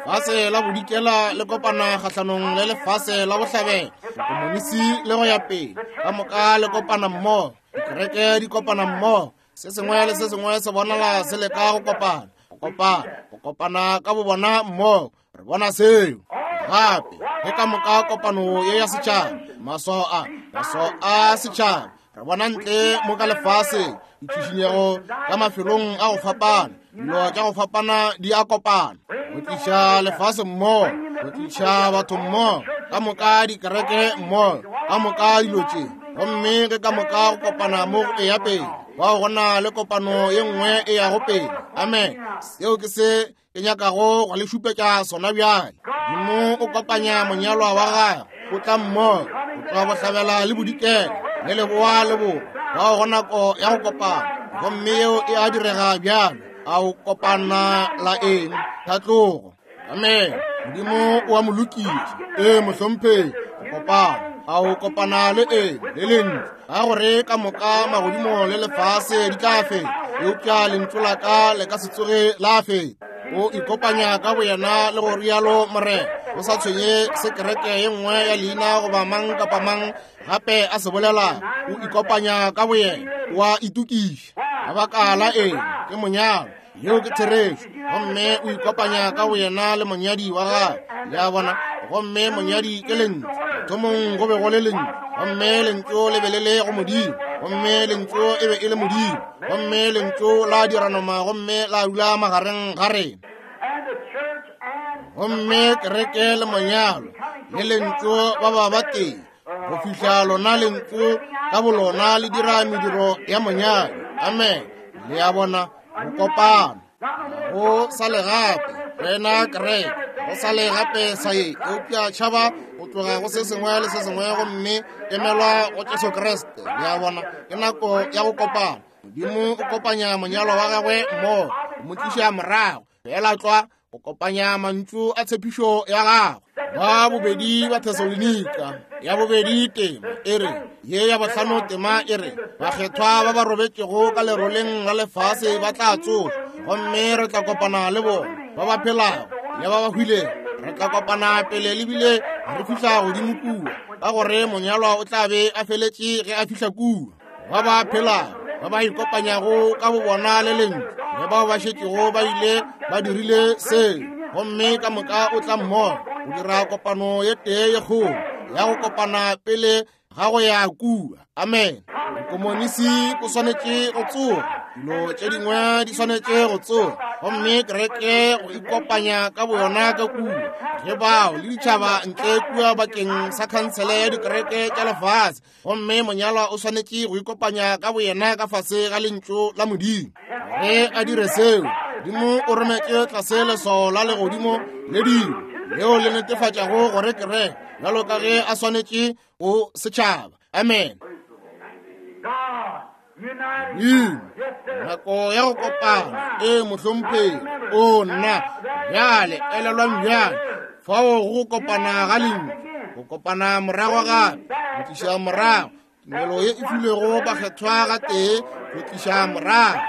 A: Lefase la bodikela le kopana kgahlanong le lefase la bohlabela, bokomonisi le go ya pele, ka moka le kopana mmogo, dikereke di kopana mmogo, se sengwe le se sengwe se bonala se leka go kopana, go kopana, go kopana ka bobona mmogo. Re bona seo gape ge ka moka kopano ye ya setšhaba, maswao a, maswao a setšhaba, re bona ntle mo ka lefaseng, ditšhišinyego ka mafelong a go fapana, dilo tša go fapana di a kopana, go tliša lefase mmogo, go tliša batho mmogo, ka moka dikereke mmogo, ka moka dilo tše. Gomme ge ka moka go kopana mo go eya pele, bao go na le kopano ye nngwe e yago pele. Amen. Seo ke se ke nyakago go le šupetša sona bjale. Modimo o kopanya monyalwa wa gagwe, o tla mmogo, go tloga bohlabela le bodikela, le leboa le borwa, bao go nako ya go kopana. Gomme yeo e a direga bjalo. A o kopana la eng? Tlhatlogo. Amen. Modimo o a mo lokiša. Ee, mohlomphegi, go kopana. A o kopana le eng? Le lentšu. Ka gore ka moka magodimo le lefase di tla feta, eupša lentšu la ka le ka se tsoge la feta. O ikopanya ka boyena le go rialo Morena, go sa tshwenye se kereke ye nngwe ya leina goba mang kapa mang gape a se bolela. O ikopanya ka boyena, o a itokiša. Ka baka la eng? Ke monyalo. Yeo ke therešo. Gomme o ikopanya ka boyena le monyadi wa gagwe. Le a bona? Gomme monyadi ke lentšu. Mathomong go be go le lentšu, gomme lentšu le be le le go Modimo, gomme lentšu e be e le Modimo, gomme lentšu la dira nama gomme la dula magareng ga rena. Gomme kereke le monyalo le lentšu ba ba ba tee, go fihla lona lentšu ka bolona le dira mediro ya monyadi. Amen. Le a bona, go kopana. Go sa le gape rena kereke, go sa le gape sa ye, eupša tšhaba go tloga go se sengwe le se sengwe gomme emelwa go Jesu Kriste. Le a bona, ke nako ya go kopana. Modimo o kopanya monyalo wa gagwe mmogo, o mo tliša morago fela tlwa go kopanya mantšu a tshepišo ya gagwe. Ba bobedi ba Thesalonika ya bobedi tema e re, ye ya bohlano tema e re, bakgethwa ba ba robetšego ka leroleng la lefase ba tla tsošwa, gomme re tla kopana le bona ba ba phelago le ba ba hwilego. Re tla kopana pele le bile re fihla godimo kua, ka gore monyalwa o tla be a feletše ge a fihla kua. Ba ba phelago ba ba ikopanyago ka bobona le lentšu, le bao ba šetšego ba ile ba dirile seo, gomme ka moka o tla mmogo go dira kopano ye tee ye kgolo ya go kopana pele ga go ya kua. Amen. Bokomonisi bo swanetše go tsoga, dilo tše dingwe di swanetše go tsoga, gomme kereke go ikopanya ka boyona ka kua, ge bao le ditšhaba ntle kua bakeng sa khansele ya dikereke tša lefase, gomme monyalwa o swanetše go ikopanya ka boyena ka fase ga lentšu la Modimo. Ge a dire seo, Modimo o rometše tlase leswao la legodimo le dilo leo le netefatšago gore kereke bjalo ka ge a swanetše go setšhaba. Amen. Modimo, nako ya go kopana. Ee, mohlomphegi. O nna bjale, elelwang bjale, fao go kopana ga lentšu, go kopana morago gape, go tliša morago tumelo ye e filwego bakgethwa gatee, go tliša morago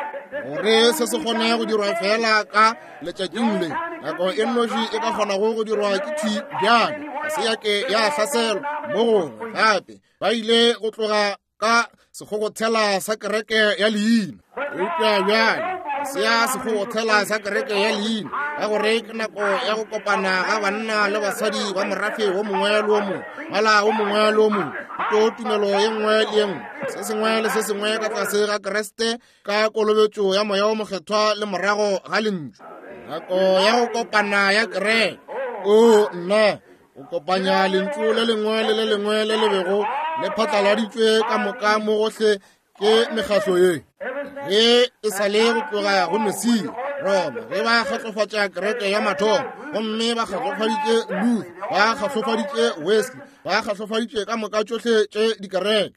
A: gore se se kgone go dirwa fela ka letšatšing le. Nako e nnoši e ka kgonago go dirwa ke thwi bjale, ga se ya ke ya hlaselwa mo gongwe gape. Ba ile go tloga ka sekgogothela sa kereke ya leina, eupša bjale Se ya sekgobothela sa kereke ya leina, ka gore ke nako ya go kopana ga banna le basadi ba morafe wo mongwe le wo mongwe, mala wo mongwe le wo mongwe, thuto tumelo ye nngwe le ye nngwe, se sengwe le se sengwe ka tlase ga Kriste ka kolobetšo ya Moya wo Mokgethwa le morago ga lentšu. Nako ya go kopana ya kereke. O nna, o kopanya lentšu le lengwe le le lengwe le le bego le phatlaladitšwe ka moka mo gohle ke mekgahlo ye. Ge e sa le go tloga go Mesia Roma, ge ba kgatlofatša kereke ya mathomo, gomme ba kgatlofaditše Luther, ba kgatlofaditše Wesley, ba kgatlofaditše ka moka tšohle tše dikereke.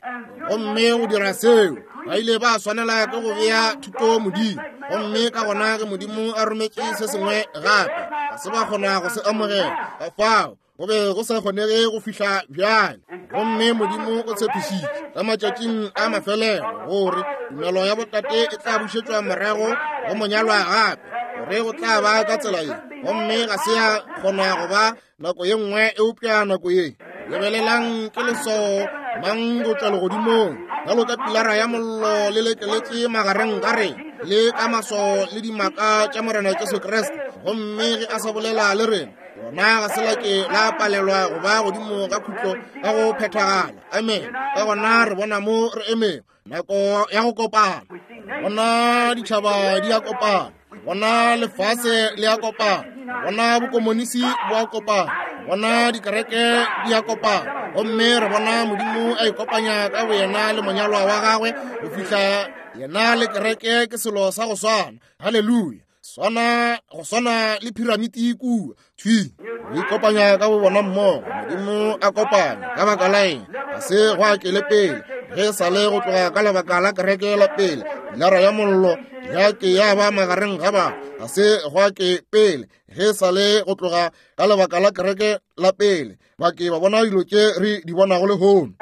A: Gomme go dira seo, ba ile ba swanela ke go bea thuto Modimo. Gomme ka gona ge Modimo a rometše se sengwe gape, ga se ba kgona go se amogela. Ka fao go be go sa kgonege go fihla bjale. Gomme Modimo o tshepišitše ka matšatšing a mafelelo gore tumelo ya botate e tla bušetšwa morago go monyalwa gape, gore go tla ba ka tsela ye. Gomme ga se ya kgona go ba nako ye nngwe eupša nako ye. Lebelelang ke leswao mang go tšwa legodimong, bjalo ka pilara ya mollo le lekeletše magareng ga rena, le ka maswao le dimaka tša Morena Jesu Kriste. Gomme ge a sa bolela le rena, lona ga se la ke la palelwa go ba godimo ga khutlo ka go phethagala. Amen. Ka gona re bona mo re emego, nako ya go kopana. Bona ditšhaba di a kopana, bona lefase le a kopana, bona bokomonisi bo a kopana, bona dikereke di a kopana. Gomme re bona Modimo a ikopanya ka boyena le monyalwa wa gagwe go fihla yena le kereke ke selo sa go swana. Haleluya. Swana go swana le piramiti kua thwi, go ikopanya ka bo bona mmogo. Modimo a kopanya ka baka la eng? Ga se go akele pele ge sa le go tloga ka lebaka la kereke la pele, pilara ya mollo ya ke ya ba magareng ga batho. Ga se go ake pele ge sa le go tloga ka lebaka la kereke la pele, ba ke ba bona dilo tše re di bonago lehono.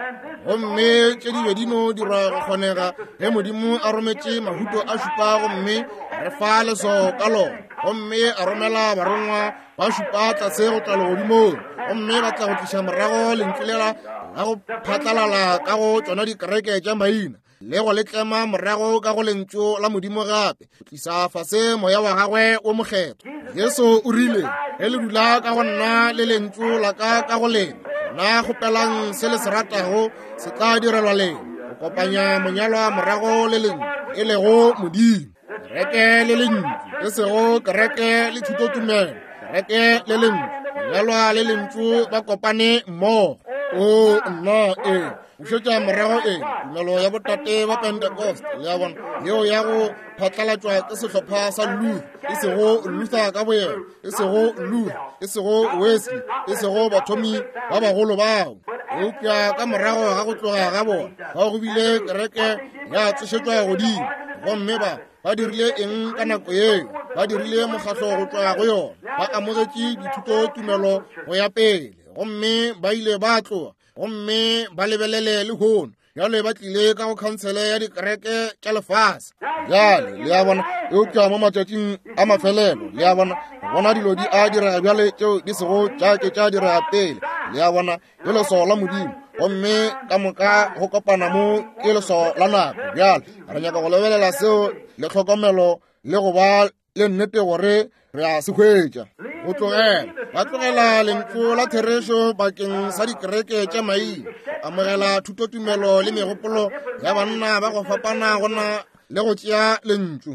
A: Gomme tše di be di no dirwa go kgonega ge Modimo a rometše mahuto a šupa, gomme re fa leswao ka lona, gomme a romela barongwa ba šupa tlase go tšwa legodimong, gomme ba tla go tliša morago lentšu lela la go phatlalala ka go tšona dikereke tša maina, le go le tlema morago ka go lentšu la Modimo gape, go tlisa fase moya wa gagwe wo mokgethwa. Jesu o rile, ge le dula ka go nna le lentšu la ka ka go lena, gona kgopelang se le se ratago se tla direlwa lena. Go kopanya monyalwa morago le lentšu, e lego Modimo. Kereke le lentšu, e sego kereke le thutotumelo. Kereke le lentšu, monyalwa le lentšu ba kopane mmogo. O nna e bušetša morago e tumelo ya botate ba Pentecost, le ya bona, yeo ya go phatlalatšwa ke sehlopha sa Luther, e sego Luther ka boyena, e sego Luther, e sego Wesley, e sego bathomi ba bagolo bao, eupša ka morago ga go tloga ga bona bao go bile kereke ya tsošetšwa godimo. Gomme ba ba dirile eng ka nako yeo? Ba dirile mokgahlo go tloga go yona, ba amogetše dithuto tumelo go ya pele, gomme ba ile ba tloga. Gomme ba lebelele lehono bjale ba tlile ka go khansele ya dikereke tša lefase bjale, le a bona. Eupša mo matšatšing a mafelelo, le a bona, bona dilo di a direga bjale tšeo di sego tša ke tša direga pele, le a bona, ke leswao la Modimo. Gomme ka moka go kopana mo ke leswao la nako. Bjale re nyaka go lebelela seo le tlhokomelo le go ba le nnete gore re a se hwetša. Go tlogela ba tlogela lentšu la therešo bakeng sa dikereke tša maina, amogela thutotumelo le megopolo ya banna ba go fapana gona le go tšea lentšu.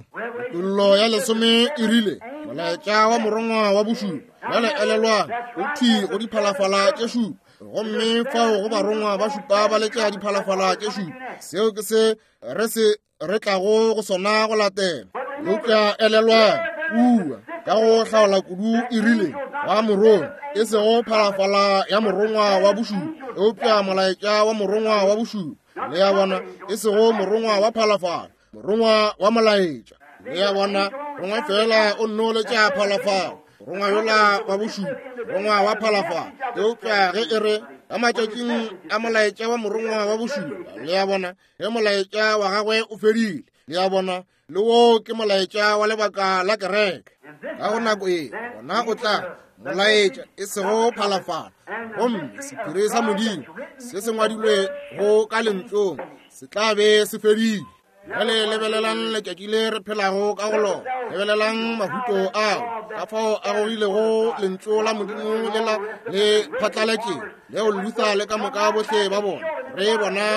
A: Kutollo ya lesome e rile molaetša wa morongwa wa bošupa. Bjale elelwang, o thwi go diphalafala tše šupa, gomme fao go barongwa ba šupa ba letša diphalafala tše šupa. Seo ke se re se re tlago go sona go latela. Eupša elelwang, kua ka go hlaola kudu e rile wa morongwa, e sego phalafala ya morongwa wa bošupa, eupša molaetša wa morongwa wa bošupa. Le ya bona, e sego morongwa wa phalafala, morongwa wa molaetša. Le ya bona, rongwa fela o nno letša phalafala, morongwa yola wa bošupa, morongwa wa phalafala. Eupša ge e re ka matšatšing a molaetša wa morongwa wa bošupa, le ya bona, ge molaetša wa gagwe o fedile, le ya bona, le wo ke molaetša wa lebaka la kereke. Ka go nako e gona o tla molaetša, e sego phalafala. Gomme sephiri sa Modimo se se ngwadilwe go ka lentšong se tla be se fedile. Bjale lebelelang letšatši le re phelago ka go lona. Lebelelang mahuto ao, ka fao a gogilego lentšu la Modimo lela le phatlaletšego, leo Luther le ka moka bohle ba bona. Re bona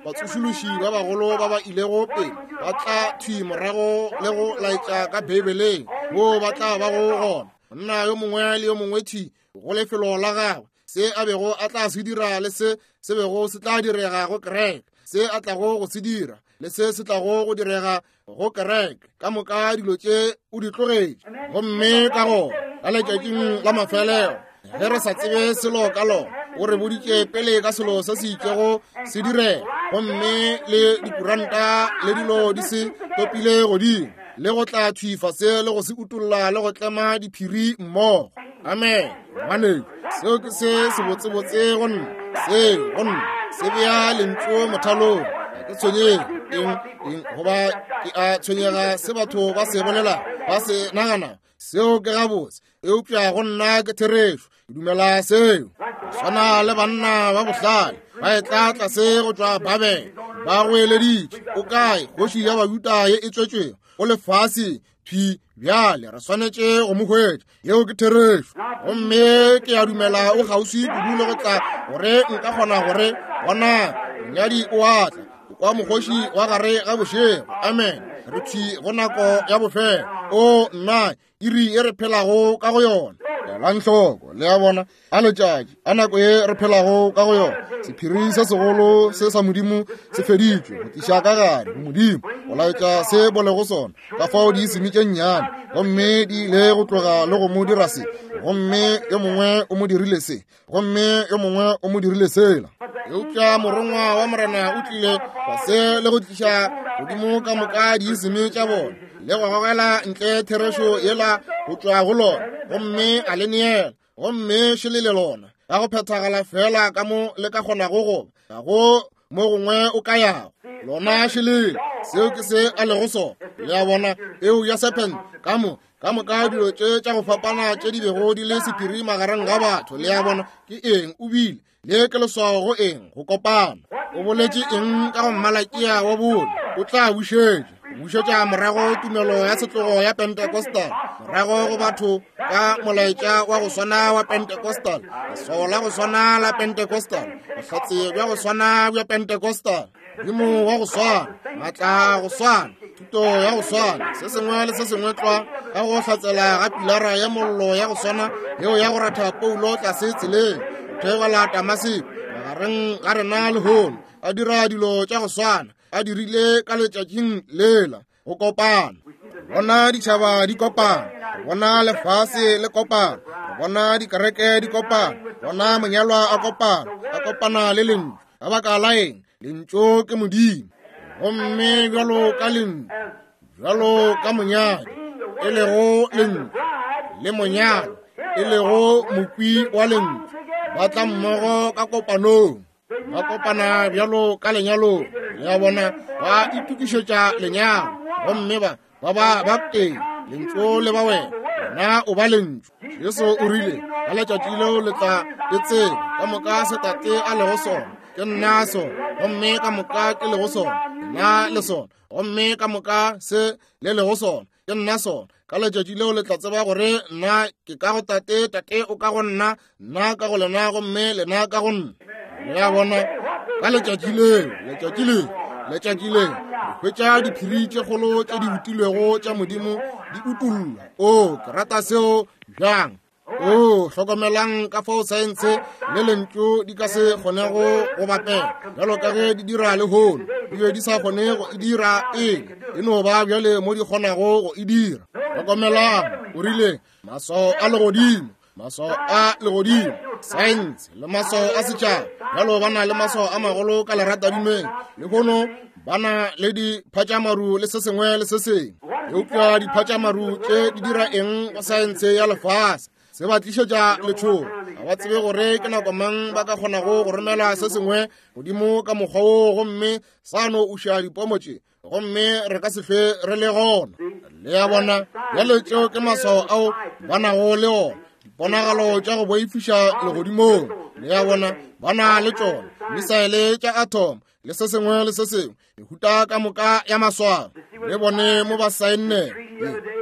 A: batsošološi ba bagolo ba ba ilego pele ba tla thwi morago le go laetša ka Beibeleng moo ba tla bago gona. Monna yo mongwe le yo mongwe thwi go lefelo la gagwe, se a bego a tla se dira le se se bego se tla direga go kereke, se a tlago go se dira le se se tlago go direga go kereke, ka moka dilo tše o di tlogetše. Gomme ka gona ka letšatšing la mafelelo, ge re sa tsebe selo ka lona, o re boditše pele ka selo se se itšego se direga, gomme le dikuranta le dilo di se topile godimo, le go tla thwi fase le go se utolla le go tlema diphiri mmogo. Amen. Ngwanešu, seo ke se sebotsebotse go nna, seo go nna se bea lentšu mothalong. Ga ke tshwenyege eng eng goba ke a tshwenyega se batho ba se bolela, ba se nagana, seo ke gabotse, eupša go nna ke therešo. Ke dumela seo. Swana le banna ba bohlale ba etla tlase go tšwa Babele, ba goeleditše, o kae kgoši ya Bajuda ye e tswetšwego go lefase thwi bjale? Re swanetše go mo hwetša. Yeo ke therešo. Gomme ke a dumela o kgauswi kudu le go tla gore nka kgona gore bona monyadi o a tla kwa mokgoši wa gare ga bošego. Amen. Re thwi go nako ya bofelo. O nna, iri e re phelago ka go yona. Elang hloko, le a bona, a letšatši, a nako ye re phelago ka go yona. Sephiri se segolo se sa Modimo se feditšwe go tliša ka gare go Modimo, go laetša se bolego sona, ka fao di seme tše nnyane, gomme di ile go tloga le go mo dira se, gomme yo mongwe o mo dirile se, gomme yo mongwe o mo dirile sela. Eupša morongwa wa Morena o tlile fase le go tliša godimo ka moka diiseme tša bona, le go gogela ntle therešo yela go tšwa go lona, gomme a le neela, gomme šele le lona ka go phethagala fela ka mo le ka kgonago go ba, ga go mo gongwe o ka yago. Lona šelele, seo ke se a lego sona. Le a bona, eo ya serpent ka mo ka moka dilo tše tša go fapana tše di bego di le sephiri magareng ga batho. Le a bona, ke eng o bile le ke leswao go eng? Go kopana. O boletše eng ka go Mmalakia wa bone? O tla bušetša, bušetša morago tumelo ya setlogo ya Pentecostal, morago go batho ka molaetša wa go swana wa Pentecostal, leswao la go swana la Pentecostal, bohlatse bja go swana bja Pentecostal, Modimo wa go swana, maatla go swana, thuto ya go swana, se sengwe le se sengwe tlwa ka go hlatsela ga pilara ya mollo ya go swana yeo ya go ratha Paulo tlase tseleng theogela Damaseko magareng ga rena lehono, a dira dilo tša go swana a dirile ka letšatšing lela. Go kopana, bona ditšhaba di kopana, bona lefase le kopana, bona dikereke di kopana, bona monyalwa a kopana, a kopana le lentšu. Ka baka la eng? Lentšu ke Modimo. Gomme bjalo ka lentšu, bjalo ka monyadi e lego lentšu, le monyadi e lego mokwi wa lentšu, ba tla mmogo ka kopanong, ba kopana bjalo ka lenyalong. Le a bona, ba itokišetša lenyalo, gomme ba ba ba ba teng, lentšu le ba wena, wena o ba lentšu. Jesu o rile, ka letšatši leo le tla e tseba ka moka se Tate a lego sona, ke nna sona, gomme ka moka ke lego sona, nna le sona, gomme ka moka se le lego sona, ke nna sona. Ka letšatši leo le tla tseba gore nna ke ka go Tate, Tate o ka go nna, nna ka go lena, gomme lena ka go nna. Le a bona, ka letšatši leo, letšatši leo, letšatši leo, re hwetša diphiri tše kgolo tše di utilwego tša Modimo di utollwa. O, ke rata seo bjang. O, hlokomelang ka fao saense le lentšu di ka se kgonego go bapela bjalo ka ge di dira lehono. Di be di sa kgone go e dira pele, e no ba bjale mo di kgonago go e dira. Hlokomelang, o rile maswao a legodimo, maswao a legodimo, saense le maswao a setšhaba. Bjalo ba na le maswao a magolo ka leratadimeng lehono, ba na le diphatšamaru le se sengwe le se sengwe. Eupša diphatšamaru tše di dira eng go saense ya lefase? Se ba tlišetša letšhogo. Ga ba tsebe gore ke nako mang ba ka kgonago go romela se sengwe godimo ka mokgwa woo, gomme sa no uša dipomo tše, gomme re ka se hlwe re le gona. Le a bona, bjale tšeo ke maswao ao ba nago le ona, diponagalo tša go boifiša legodimong. Le a bona, ba na le tšona misaele tša atom le se sengwe le se sengwe, mehuta ka moka ya maswao. Le bone mo ba saenne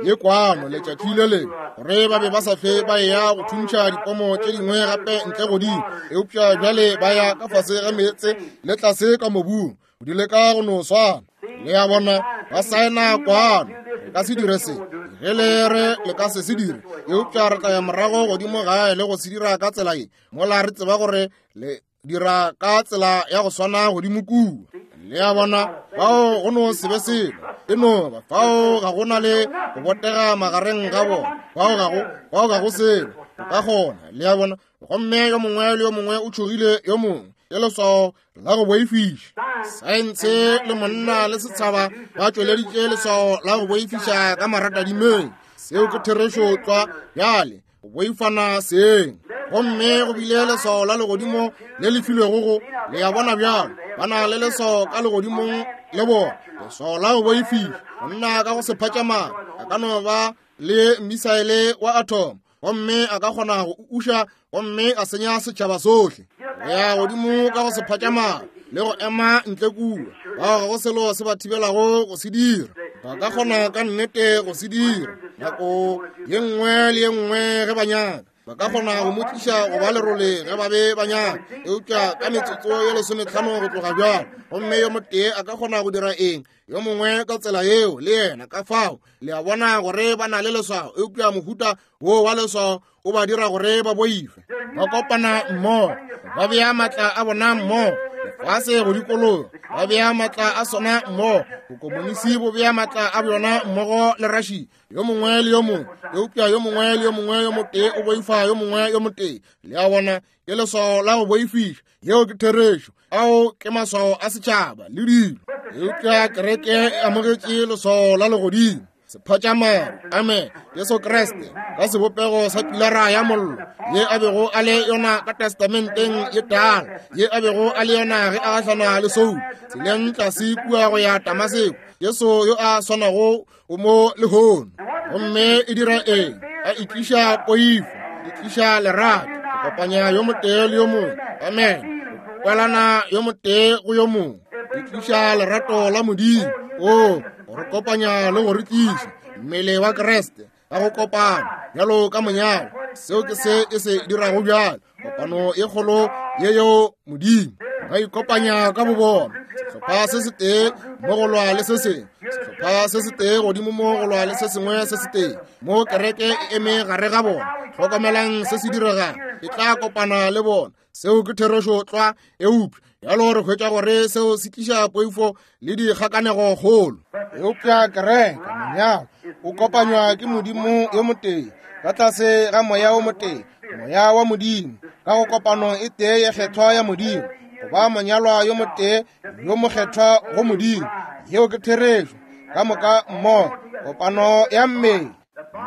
A: ye kwano letšatši le lengwe gore ba be ba sa hlwe ba eya go thuntšha dipomo tše dingwe gape ntle godimo, eupša bjale ba ya ka fase ga meetse le tlase ka mobung go di leka go no swana. Le a bona, ba saena kwano, re ka se dire se, ge le re le ka se se dire, eupša re tla ya morago godimo gae le go se dira ka tsela ye, mola re tseba gore le dira ka tsela ya go swana godimo kua. Le a bona, fao go no se be selo, e no ba fao ga go na le go botega magareng ga bona, fao ga go, fao ga go selo o ka kgona. Le a bona, gomme yo mongwe le yo mongwe o tšhogile yo mongwe, ke leswao la go boifiša. Saense le monna le setšhaba ba tšweleditše leswao la go boifiša ka maratadimeng. Seo ke therešo tlwa. Bjale go boifana seng, gomme go bile leswao la legodimo le le filwego go le a bona bjalo, ba na le leswao ka legodimong le bona, leswao la go boifiša. Monna ka go se phatšamang a ka no ba le misaele wa atom, gomme a ka kgona go uša gomme a senya setšhaba sohle. Go ya godimo ka go se phatšamang le go ema ntle kua, bao ga go selo se ba thibelago go se dira. Ba ka kgona ka nnete go se dira nako ye nngwe le ye nngwe ge ba nyaka. Ba ka kgona go mo tliša go ba lerole ge ba be ba nyaka, eupša ka metsotso ye lesometlhano go tloga bjalo, gomme yo motee a ka kgona go dira eng, yo mongwe ka tsela yeo le yena. Ka fao le a bona gore ba na le leswao, eupša mohuta wo wa leswao o ba dira gore ba boife. Ba kopana mmogo, ba bea maatla a bona mmogo, lefase go dikologa ba bea maatla a sona mmogo, bokomonisi bo bea maatla a bjona mmogo le Russia, yo mongwe le yo mongwe, eupša yo mongwe le yo mongwe yo motee o boifa yo mongwe yo motee. Le a bona, ke leswao la go boifiša. Yeo ke therešo. Ao ke maswao a setšhaba le dilo, eupša kereke e amogetše leswao la legodimo, sephatšamaru, amen, Jesu Kriste ka sebopego sa pilara ya mollo ye a bego a le yona ka testamenteng ye tala, ye a bego a le yona ge a gahlana le Saul tseleng tlase kua go ya Damaseko. Jesu yo a swanago o mo lehono. Gomme e dira eng? A e tliša poifo, e tliša lerato, go kopanya yo motee le yo mongwe, amen, go kwelana yo motee go yo mongwe, e tliša lerato la Modimo, o go re kopanya le go re tliša mmele wa Kriste ka go kopana bjalo ka monyalo. Seo ke se e se dirago bjalo, kopano e kgolo ye yeo Modimo ba ikopanya ka bobona, sehlopha se setee mo go lwa le se sengwe, sehlopha se setee godimo mo go lwa le se sengwe se setee, mo kereke e eme gare ga bona. Hlokomelang se se diregang, e tla kopana le bona. Seo ke therešo tlwa. Eupša bjalo re hwetša gore seo se tliša poifo le dikgakanego kgolo.
B: Eupša kereke monyalo o kopanywa ke Modimo yo motee ka tlase ga moya o motee, moya wa Modimo, ka go kopano e tee ye kgethwa ya Modimo, go ba monyalwa yo motee yo mokgethwa go Modimo. Yeo ke therešo. Ka moka mmogo, kopano ya mmele.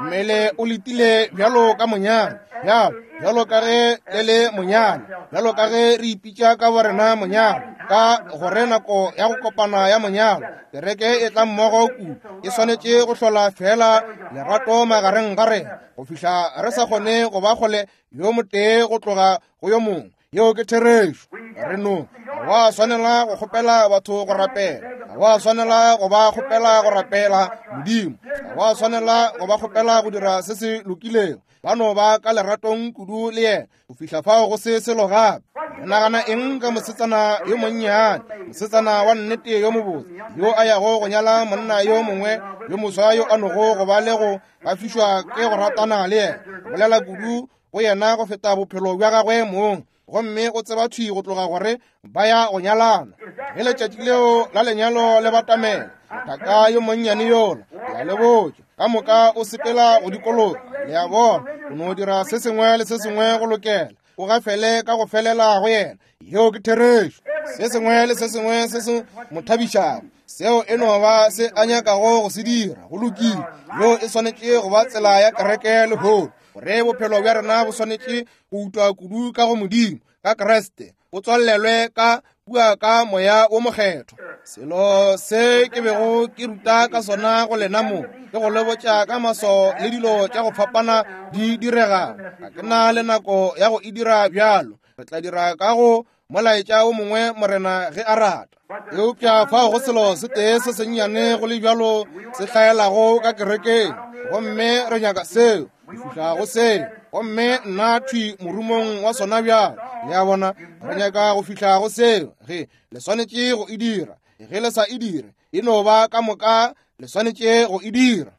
B: Mmele o letile bjalo ka monyalo, bjalo bjalo ka ge le le monyalo, bjalo ka ge re ipitša ka borena monyalo, ka gore nako ya go kopana ya monyalo, kereke e tla mmogo kudu, e swanetše go hlola fela lerato magareng ga rena go fihla re sa kgone go ba kgole yo motee go tloga go yo mongwe. Yeo ke therešo. Re no ga wa swanela go kgopela batho go rapela, ga wa swanela go ba kgopela go rapela Modimo, ga wa swanela go ba kgopela go dira se se lokilego. Ba no ba ka leratong kudu le yena go fihla fao go se selo gape. Le nagana eng ka mosetsana yo monnyane, mosetsana wa nnete yo mobotse, yo a yago go nyala monna yo mongwe yo moswa yo a nogo go ba le go gafišwa ke go ratana le yena, go bolela kudu go yena go feta bophelo bja gagwe mong, gomme o tseba thwi go tloga gore ba ya go nyalana. Ge letšatši leo la lenyalo le batamela, mothaka yo monnyane yola, ke a le botša, ka moka o sepela go dikologa. Le a bona, o no dira se sengwe le se sengwe go lokela, o gafele ka go felela go yena. Yeo ke therešo. Se sengwe le se sengwe se se mo thabišago, seo e no ba se a nyakago go se dira, go lokile. Yeo e swanetše go ba tsela ya kereke lehono, gore bophelo bja rena bo swanetše go utwa kudu ka go Modimo, ka Kriste, bo tswalelwe ka kua ka moya wo mokgethwa. Selo se ke bego ke ruta ka sona go lena mo, ke go le botša ka maswao le dilo tša go fapana di diregago. Ga ke na le nako ya go e dira bjalo. Re tla dira ka go molaetša o mongwe Morena ge a rata. Eupša fao go selo se tee se sennyane go le bjalo se hlaelago ka kerekeng, gomme re nyaka seo, go fihla go seo, gomme nna thwi morumong wa sona bjalo. Le a bona, re nyaka go fihla go seo. Ge le swanetše go e dira, ge le sa e dire, e no ba ka moka le swanetše go e dira.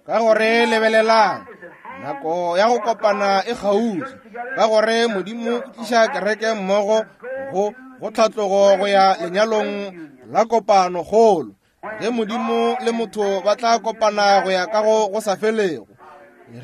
B: Ka gore lebelelang, nako ya go kopana e kgauswi, ka gore Modimo o tliša kereke mmogo go go tlhatlogo go ya lenyalong la kopano kgolo, ge Modimo le motho ba tla kopana go ya ka go go sa felego,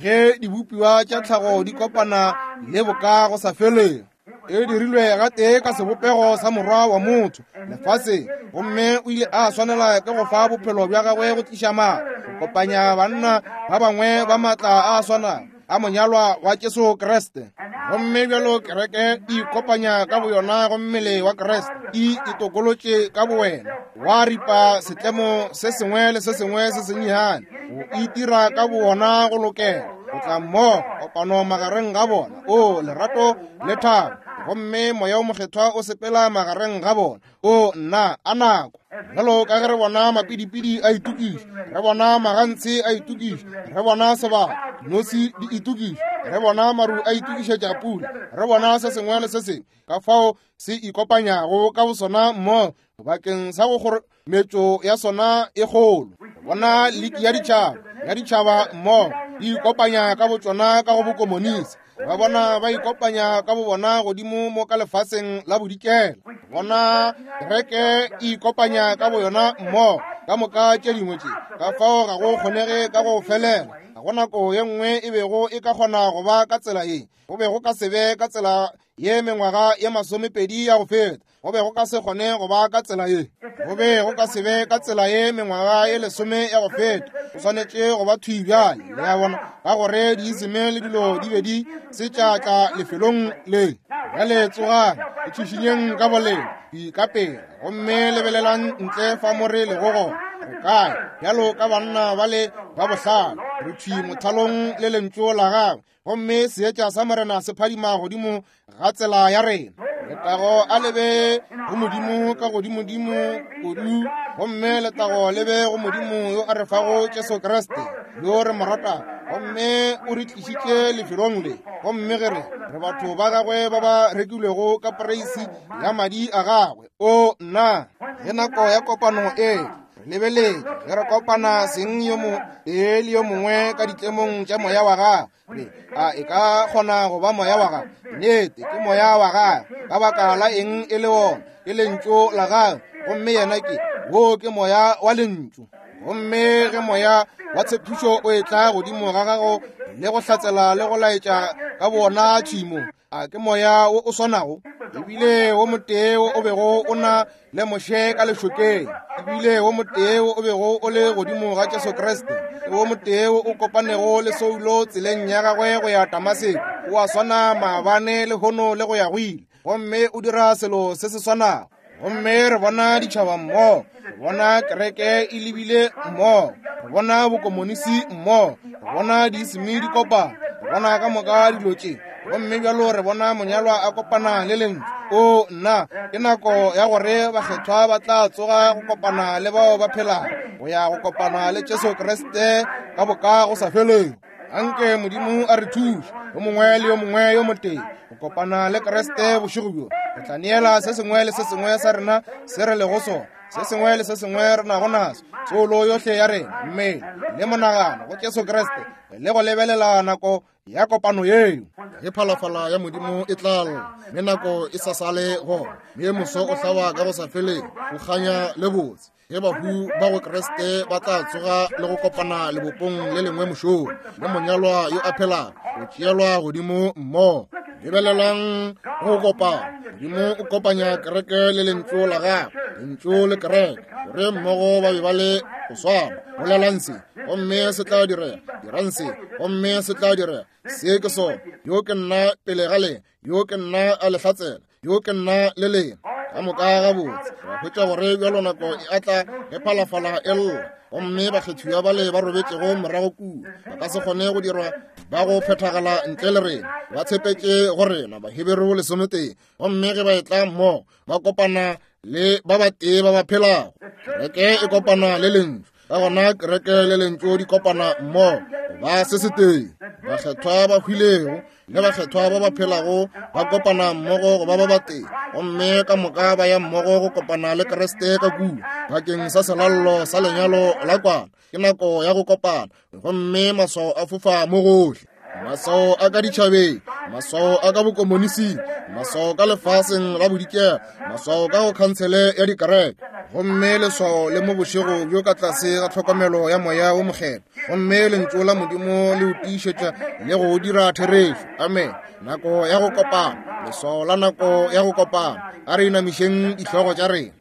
B: ge dibopiwa tša tlhago di kopana le boka go sa felego. E dirilwe gatee ka sebopego sa morwa wa motho lefaseng, gomme o ile a swanela ke go fa bophelo bja gagwe go tliša maatla, go kopanya banna ba bangwe ba maatla a swanago a monyalwa wa Jesu Kriste. Gomme bjalo kereke e ikopanya ka boyona go mmele wa Kriste, e itokolotše ka bowena, wa ripa setlemo se sengwe le se sengwe se sennyane, go itira ka bowona go lokela, go tla mmogo, kopano magareng ga bona, o lerato le thabo, gomme moya o mokgethwa o sepela magareng ga bona. O nna a nako. Bjalo ka ge re bona mapidipidi a itokiša, re bona magantshe a itokiša, re bona sebaka nosi di itokiša, re bona maru a itokišetša pula, re bona se sengwe le se sengwe ka fao se ikopanyago ka bosona mmogo bakeng sa go kgorometšo ya sona e kgolo. Re bona liki ya ditšhaba ya ditšhaba mmogo di ikopanya ka botšona ka go bokomonisi. Ba bona ba ikopanya ka bobona godimo mo ka lefaseng la bodikela. Bona kereke e ikopanya ka boyona mmogo ka moka tše dingwe tše, ka fao ga go kgonege ka go felela. Ga go nako ye nngwe e bego e ka kgona go ba ka tsela ye, go be go ka se be ka tsela ye mengwaga ye masomepedi ya go feta, go be go ka se kgone go ba ka tsela ye, go be go ka se be ka tsela ye mengwaga ye lesome ya go feta. Go swanetše go ba thwi bjale, le a bona, ka gore diiseme le dilo di be di se tša tla lefelong le. Bjale tsogang, itšhišinyeng ka boleng, ka pela, gomme lebelelang ntle fa mo re lego gona. Re kae bjalo ka banna ba le ba bohlale, re thwi mothalong le lentšu la gagwe, gomme seetša sa Morena se phadima godimo ga tsela ya rena. Letago a lebe go Modimo ka godimodimo kudu, gomme letago lebe go Modimo yo a re fago Jesu Kriste, yo re mo ratago, gomme o re tlišitše lefelong le. Gomme ge re re batho ba gagwe ba ba rekilwego ka poreisi ya madi a gagwe. O nna, ge nako ya kopano e re lebeletše, ge re kopana seng yo mo tee le yo mongwe ka ditlemong tša moya wa gagwe, a e ka kgona go ba moya wa gagwe? Nnete ke moya wa gagwe. Ka baka la eng e le wona? Ke lentšu la gagwe, gomme yena ke wo ke moya wa lentšu. Gomme ge moya wa tshepišo o etla godimo ga gago le go hlatsela le go laetša ka bona tšhimo, a ke moya wo o swanago, ebile wo motee wo o bego o na le Moshe ka lešokeng, ebile wo motee wo o bego o le godimo ga Jesu Kriste, wo motee wo o kopanego le Saulo tseleng ya gagwe go ya Damaseko, o a swana maabane lehono le go ya go ile, gomme o dira selo se se swanago. Gomme re bona ditšhaba mmogo, re bona kereke e lebile mmogo, re bona bokomonisi mmogo, re bona diiseme di kopana, re bona ka moka dilo tše. Gomme bjalo re bona monyalwa a kopana le lentšu. O nna, ke nako ya gore bakgethwa ba tla tsoga go kopana le bao ba phelago, go ya go kopana le Jesu Kriste ka boka go sa felego. Anke Modimo a re thuše, yo mongwe le yo mongwe yo motee, go kopana le Kriste bošego bjo. Re tla neela se sengwe le se sengwe sa rena se re lego sona, se sengwe le se sengwe re nago naso, soulo yohle ya rena, mmele le monagano go Jesu Kriste, le go lebelela nako ya kopano yeo.
A: Ge phalafala ya Modimo e tla lla, mme nako e sa sale gona, mme moso o hlaba ka go sa feleng, o kganya le botse, ge bahu ba go Kriste ba tla tsoga le go kopana lebopong le lengwe mošong, le monyalwa yo a phelago o tšeelwa godimo mmogo. Lebelelang go kopana. Modimo o kopanya kereke le lentšu la gagwe, lentšu le kereke, gore mmogo ba be ba le go swana. Bolelang se, gomme se tla direga. Dirang se, gomme se tla direga. Se ke sona. Yo ke nna pele ga lena, yo ke nna a le hlatsela, yo ke nna le lena. Ka moka gabotse ra hwetša gore bjalo nako e atla ge phalafala e lla, gomme bakgethiwa bale ba robetšego morago kua ba ka se kgone go dirwa ba go phethagala ntle le rena. Ba tshepetše go rena, Baheberu lesometee, gomme ge ba etla mmogo ba kopana le ba batee ba ba phelago. Kereke e kopana le lentšu, ka gona kereke le lentšu di kopana mmogo ba se setee. Bakgethwa ba hwilego le bakgethwa ba ba phelago ba kopana mmogo go ba ba batee, gomme ka moka ba ya mmogo go kopana le Kriste ka kua bakeng sa selallo sa lenyalo la kwana. Ke nako ya go kopana, gomme maswao a fofa mo gohle. Maswao a ka ditšhabeng, maswao a ka bokomonising, maswao ka lefaseng la bodikela, maswao ka go khansele ya dikereke, gomme leswao le mo bošego bjo ka tlase ga tlhokomelo ya moya wo mokgethwa, gomme lentšu la Modimo le o tiišetša le go o dira therešo. Amen. Nako ya go kopana, leswao la nako ya go kopana. A re inamišeng dihlogo tša rena.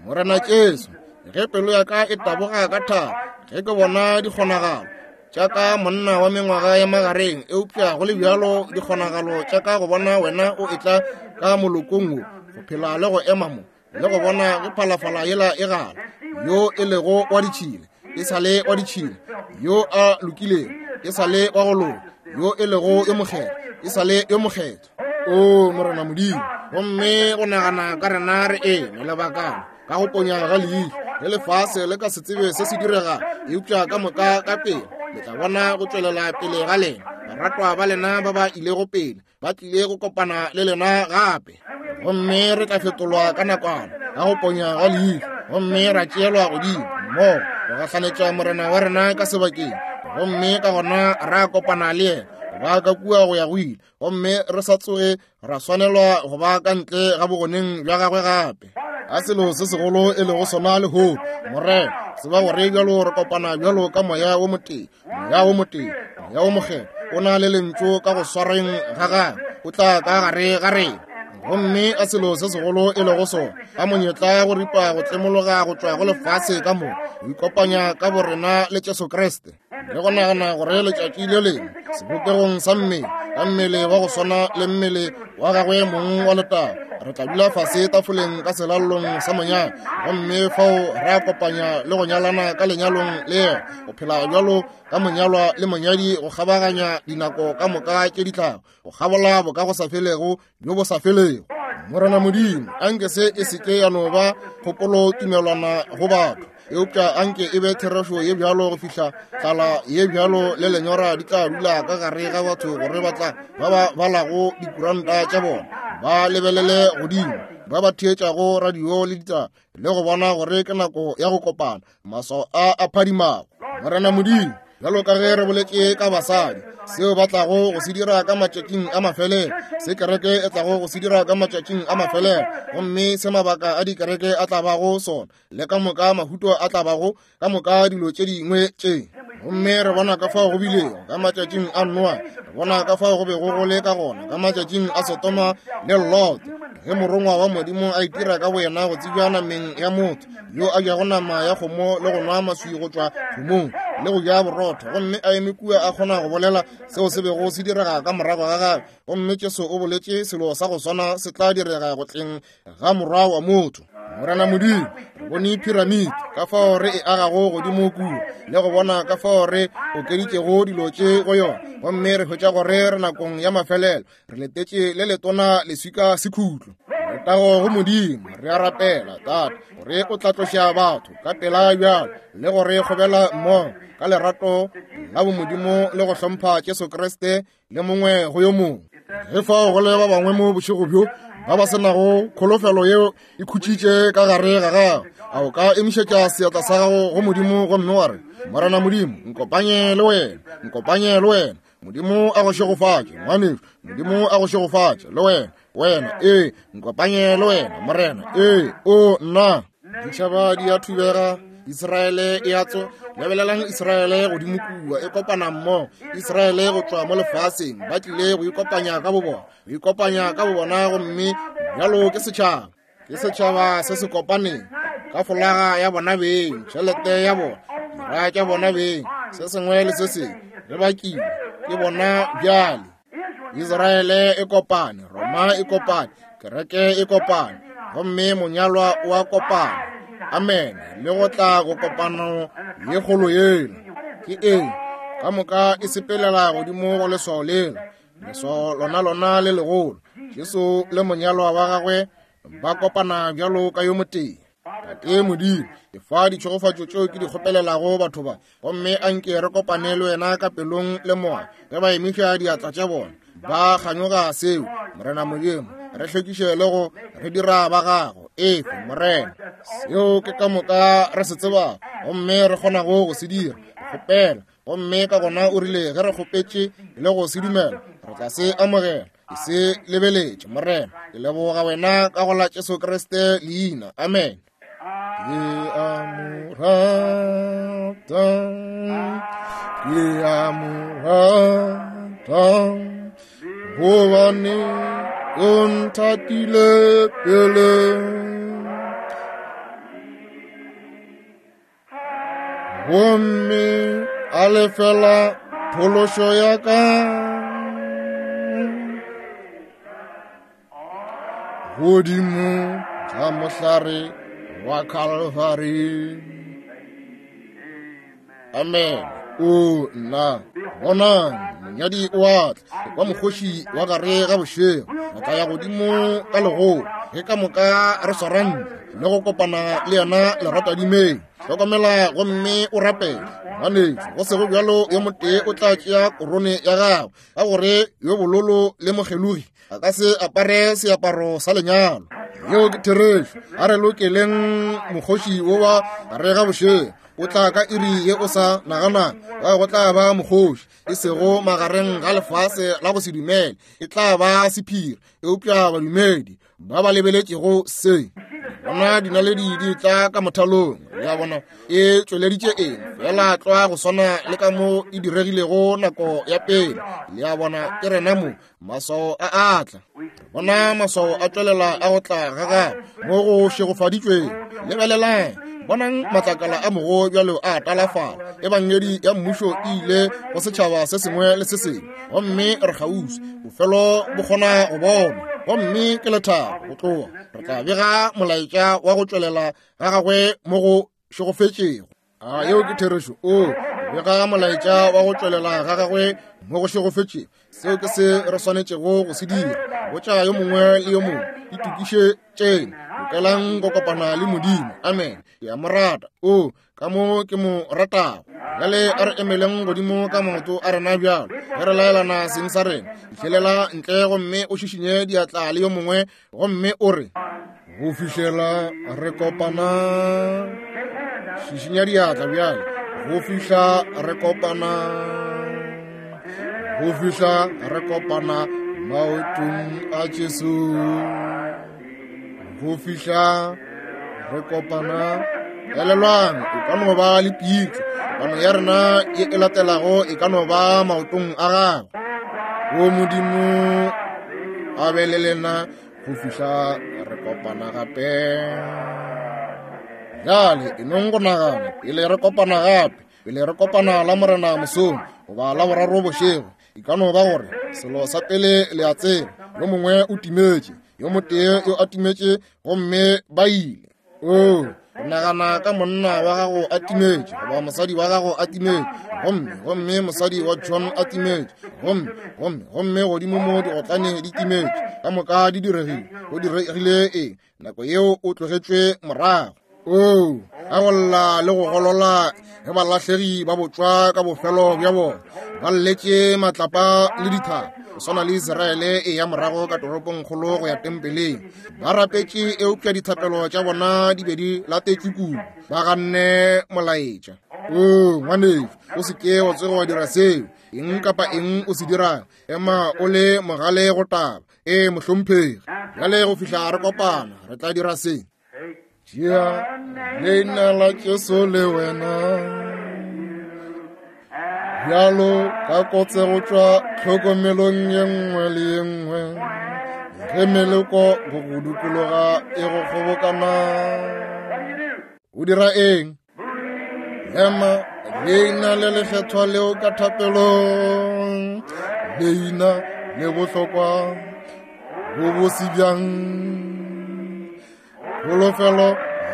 A: Morena Jesu, ge pelo ya ka e taboga ka thabo ge ke bona dikgonagalo tša ka monna wa mengwaga ya magareng, eupša go le bjalo dikgonagalo tša ka go bona wena o etla ka molokong wo, go phela le go ema mo le go bona ge phalafala yela e gala, yo e lego wa ditšhila e sa le wa ditšhila, yo a lokilego e sa le wa go loka, yo e lego yo mokgethwa e sa le yo mokgethwa. O Morena Modimo, gomme go nagana ka rena re eme lebakana ka go ponya ga leihlo, ge lefase le ka se tsebe se se direga, eupša ka moka ka pele le tla bona go tšwelela pele ga lena baratwa ba lena ba ba ilego pele ba tlile go kopana le lena gape. Gomme re tla fetolwa ka nakwana ka go ponya ga leihlo, gomme ra tšeelwa godimo mmogo go gahlanetša Morena wa rena ka sebakeng, gomme ka gona ra kopana le yena ba ka kua go ya go ile, gomme re sa tsoge ra swanelwa go ba ka ntle ga bogoneng bja gagwe gape. A selo se segolo e lego sona lehono, Morena, tseba gore bjalo re kopana bjalo ka moya wo motee, moya wo motee, moya wo mokgethwa o na le lentšu ka go swareng ga gagwe, o tla ka gare ga rena. Gomme a selo se segolo e lego sona, a monyetla go ripa go tlemologa go tšwa go lefase ka moka, go ikopanya ka borena le Jesu Kriste, le go nagana gore letšatši le lengwe sebopegong sa mmele, ka mmele wa go swana le mmele wa gagwe mong wa letago, re tla dula fase tafoleng ka selallong sa monyanya, gomme fao ra kopanya le go nyalana ka lenyalong le yena, go phela bjalo ka monyalwa le monyadi go kgabaganya dinako ka moka tše di tlago, go kgabola bo ka go sa felego bjo bo sa felego. Morena Modimo, anke se e seke ya no ba kgopolo tumelwana go batho, eupša anke e be therešo ye bjalo go fihla tlala ye bjalo le lenyora di tla dula ka gare ga batho, gore ba tla ba ba balago dikuranta tša bona ba lebelele godimo, ba ba theetšago radio le ditaba, le go bona gore ke nako ya go kopana, maswao a a phadimago. Morena Modimo, bjalo ka ge re boletše ka basadi, seo ba tlago go se dira ka matšatšing a mafelelo, se kereke e tlago go se dira ka matšatšing a mafelelo, gomme se mabaka a dikereke a tla bago sona, le ka moka mahuto a tla bago ka moka dilo tše dingwe tše. Gomme re bona ka fao go bilego ka matšatšing a Noa, re bona ka fao go bego go le ka gona ka matšatšing a Sodoma le Lot, ge morongwa wa Modimo a itira ka boyena go tsebja nameng ya motho, yo a jago nama ya kgomo le go nwa maswi go tšwa kgomong le go ja borotho, gomme a eme kua a kgona go bolela seo se bego se direga ka morago ga gagwe. Gomme Jesu o boletše selo sa go swana se tla direga go tleng ga morwa wa motho. Morena Modimo, re bone piramidi ka fao re e agago godimo kua, le go bona ka fao re okeditšego dilo tše go yona, gomme re hwetša gore re nakong ya mafelelo, re letetše le letona leswika sekhutlo. Letago go Modimo, re a rapela Tate gore o tla tloša batho ka pela bjalo, le gore kgobela mmogo ka lerato la bomodimo le go hlompha Jesu Kriste le mongwe go yo mongwe. Ge fao go le ba bangwe mo bošego bjo ba ba senago kholofelo yeo e khutšitše ka gare ga gago, a o ka emišetša seatla sa gago go Modimo gomme wa re, Morena Modimo, nkopanye le wena, nkopanye le wena. Modimo a go šegofatše, ngwanešu. Modimo a go šegofatše le wena, wena, ee, nkopanye le wena, Morena, ee, o nna. Ditšhaba di a thubega, Israele e a tso. Lebelelang Israele godimo kua e kopana mmogo, Israele go tšwa mo lefaseng, ba tlile go ikopanya ka bobona, go ikopanya ka bobona, gomme bjalo ke setšhaba, ke setšhaba se se kopaneng ka folaga ya bona beng, tšhelete ya bona, dira tša bona beng, se sengwe le se sengwe re bakile ke bona bjale. Israele e kopane, Roma e kopane, kereke e kopane, Gomme monyalwa o a kopana. Amen. Le go tla go kopano ye kgolo yela. Ke eng? Ka moka e sepelela godimo go leswao lela. Leswao lona lona le legolo. Jesu le monyalwa wa gagwe ba kopana bjalo ka yo motee. Tate Modimo, ke fa ditšhegofatšo tšeo ke di kgopelelago batho ba, gomme a nke re kopane le wena ka pelong le moya ge ba emiša diatla tša bona ba kganyoga seo. Morena Modimo, re hlwekiše le go re dira ba gago. Efe Morena, seo ke ka moka re se tsebago gomme re kgonago go se dira, kgopela. Gomme ka gona o rile ge re kgopetše le go se dumela, re tla se amogela. Ke se lebeletše Morena. Ke leboga wena ka go la Jesu Kriste leina. Amen. Ke a mo rata, ke a mo rata, gobane o nthatile pele. Gomme a lefela phološo ya ka godimo ga mohlare wa Calvary. Amen. O nna, bonang, monyadi o a tla, kwa mokgoši wa gare ga bošego. Re tla ya godimo ka legolo ge ka moka re swarane le go kopana le yena leratadimeng. Hlokomela gomme o rapele, ngwanetšo. Go sego bjalo yo motee o tla tšea korone ya gago, ka gore yo bololo le mokgelogi a ka se apare seaparo sa lenyalo. Yeo ke therešo. A re lokeleng mokgoši wo wa gare ga bošego. O tla ka iri ye o sa nagana ka go tla ba mokgoši, e sego magareng ga lefase la go se dumele. E tla ba sephiri, eupša badumedi ba ba lebeletšego se. Bona dinaledi di tla ka mothalong. Le a bona e tšweleditše eng? Fela tlwa go swana le ka mo e diregilego nako ya pele. Le a bona ke rena mo maswao a atla. Bona maswao a tšwelela a go tla ga gagwe mo go šegofaditšweng. Lebelelang, bonang matlakala a mogo bjalo a talafala. Ebangedi ya mmušo e ile go setšhaba se sengwe le se sengwe, gomme re kgauswi. Bofelo bo kgona go bonwa, gomme ke lethabo go tloga. Re tla bega molaetša wa go tšwelela ga gagwe mo go šegofetšego. A yeo ke therešo. O bega molaetša wa go tšwelela ga gagwe mo go šegofetšego. Seo ke se re swanetšego go se dira. Botša yo mongwe le yo mongwe, itokišetšeng, lokelang go kopana le Modimo. Amen. Ke a mo rata. O ka mo ke mo ratago. Bjale a re emeleng godimo ka maoto a rena bjalo ge re laelana seng sa rena. Fihlelela ntle gomme o šišinye diatla le yo mongwe gomme o re, go fihlela re kopana. Šišinya diatla bjale. Go fihla re kopana. Go fihla re kopana maotong a Jesu. Go fihla re kopana. Elelwang, o ka no ba le pitlo. Kopano ya rena ye e latelago e ka no ba maotong a gagwe. O Modimo a be le lena go fihla re kopana gape. Bjale e nong go nagana pele re kopana gape, pele re kopana la Morena mosong goba la boraro bošego, e ka no ba gore selo sa pele le a tseba, yo mongwe o timetše, yo motee yo a timetše, gomme ba ile. O nagana ka monna wa gago a timetše, goba mosadi wa gago a timetše, gomme gomme mosadi wa John a timetše, gomme gomme gomme godimo mo digotlane di timetše. Ka moka di diregile. Go diregile eng? Nako yeo o tlogetšwe morago. O a go lla le go golola ge balahlegi ba botšwa ka bofelo bja bona, ba lletše matlapa le dithaba, go swana le Israele e ya morago ka toropongkgolo go ya tempeleng. Ba rapetše, eupša dithapelo tša bona di be di latetšwe kudu. Ba ganne molaetša. O ngwanešo, o se ke wa tsoge wa dira seo. Eng kapa eng o se dirang, ema o le mogale go taba. E mohlomphegi, bjale go fihla re kopana, re tla dira se. Tšea leina la Jesu le wena bjalo ka kotse go tšwa tlhokomelong ye nngwe le ye nngwe, ge meleko go go dikologa e go kgobokana. O dira eng? Ema leina le lekgethwa leo ka thapelong, leina le bohlokwa bo bose bjang. Kholofelo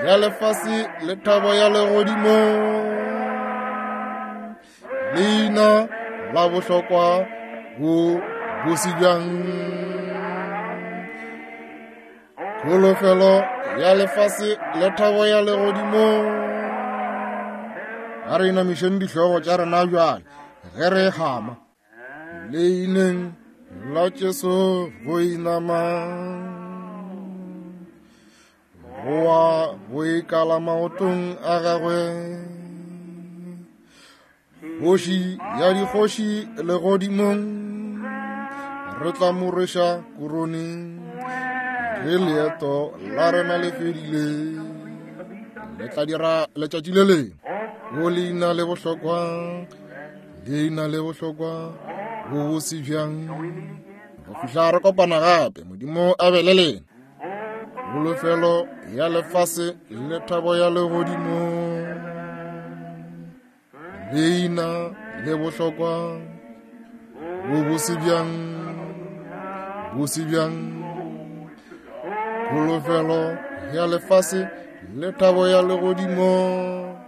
A: ya lefase le thabo ya legodimo. Leina la bohlokwa bo bose bjang. Kholofelo ya lefase le thabo ya legodimo. A re inamišeng dihlogo tša rena bjale ge re hama. Leineng la Jesu go inama, goa go ikala maotong a gagwe. Kgoši ya dikgoši legodimong, re tla mo rweša korone ge leeto la rena le fedile. Le tla dira letšatši le lengwe. O leina le bohlokwa, leina le bohlokwa, bo bose bjang. Go fihla re kopana gape, Modimo a be le lena. Kholofelo ya lefase le thabo ya legodimo. Leina le bohlokwa, bo bose bjang, bose bjang. Kholofelo ya lefase le thabo ya legodimo.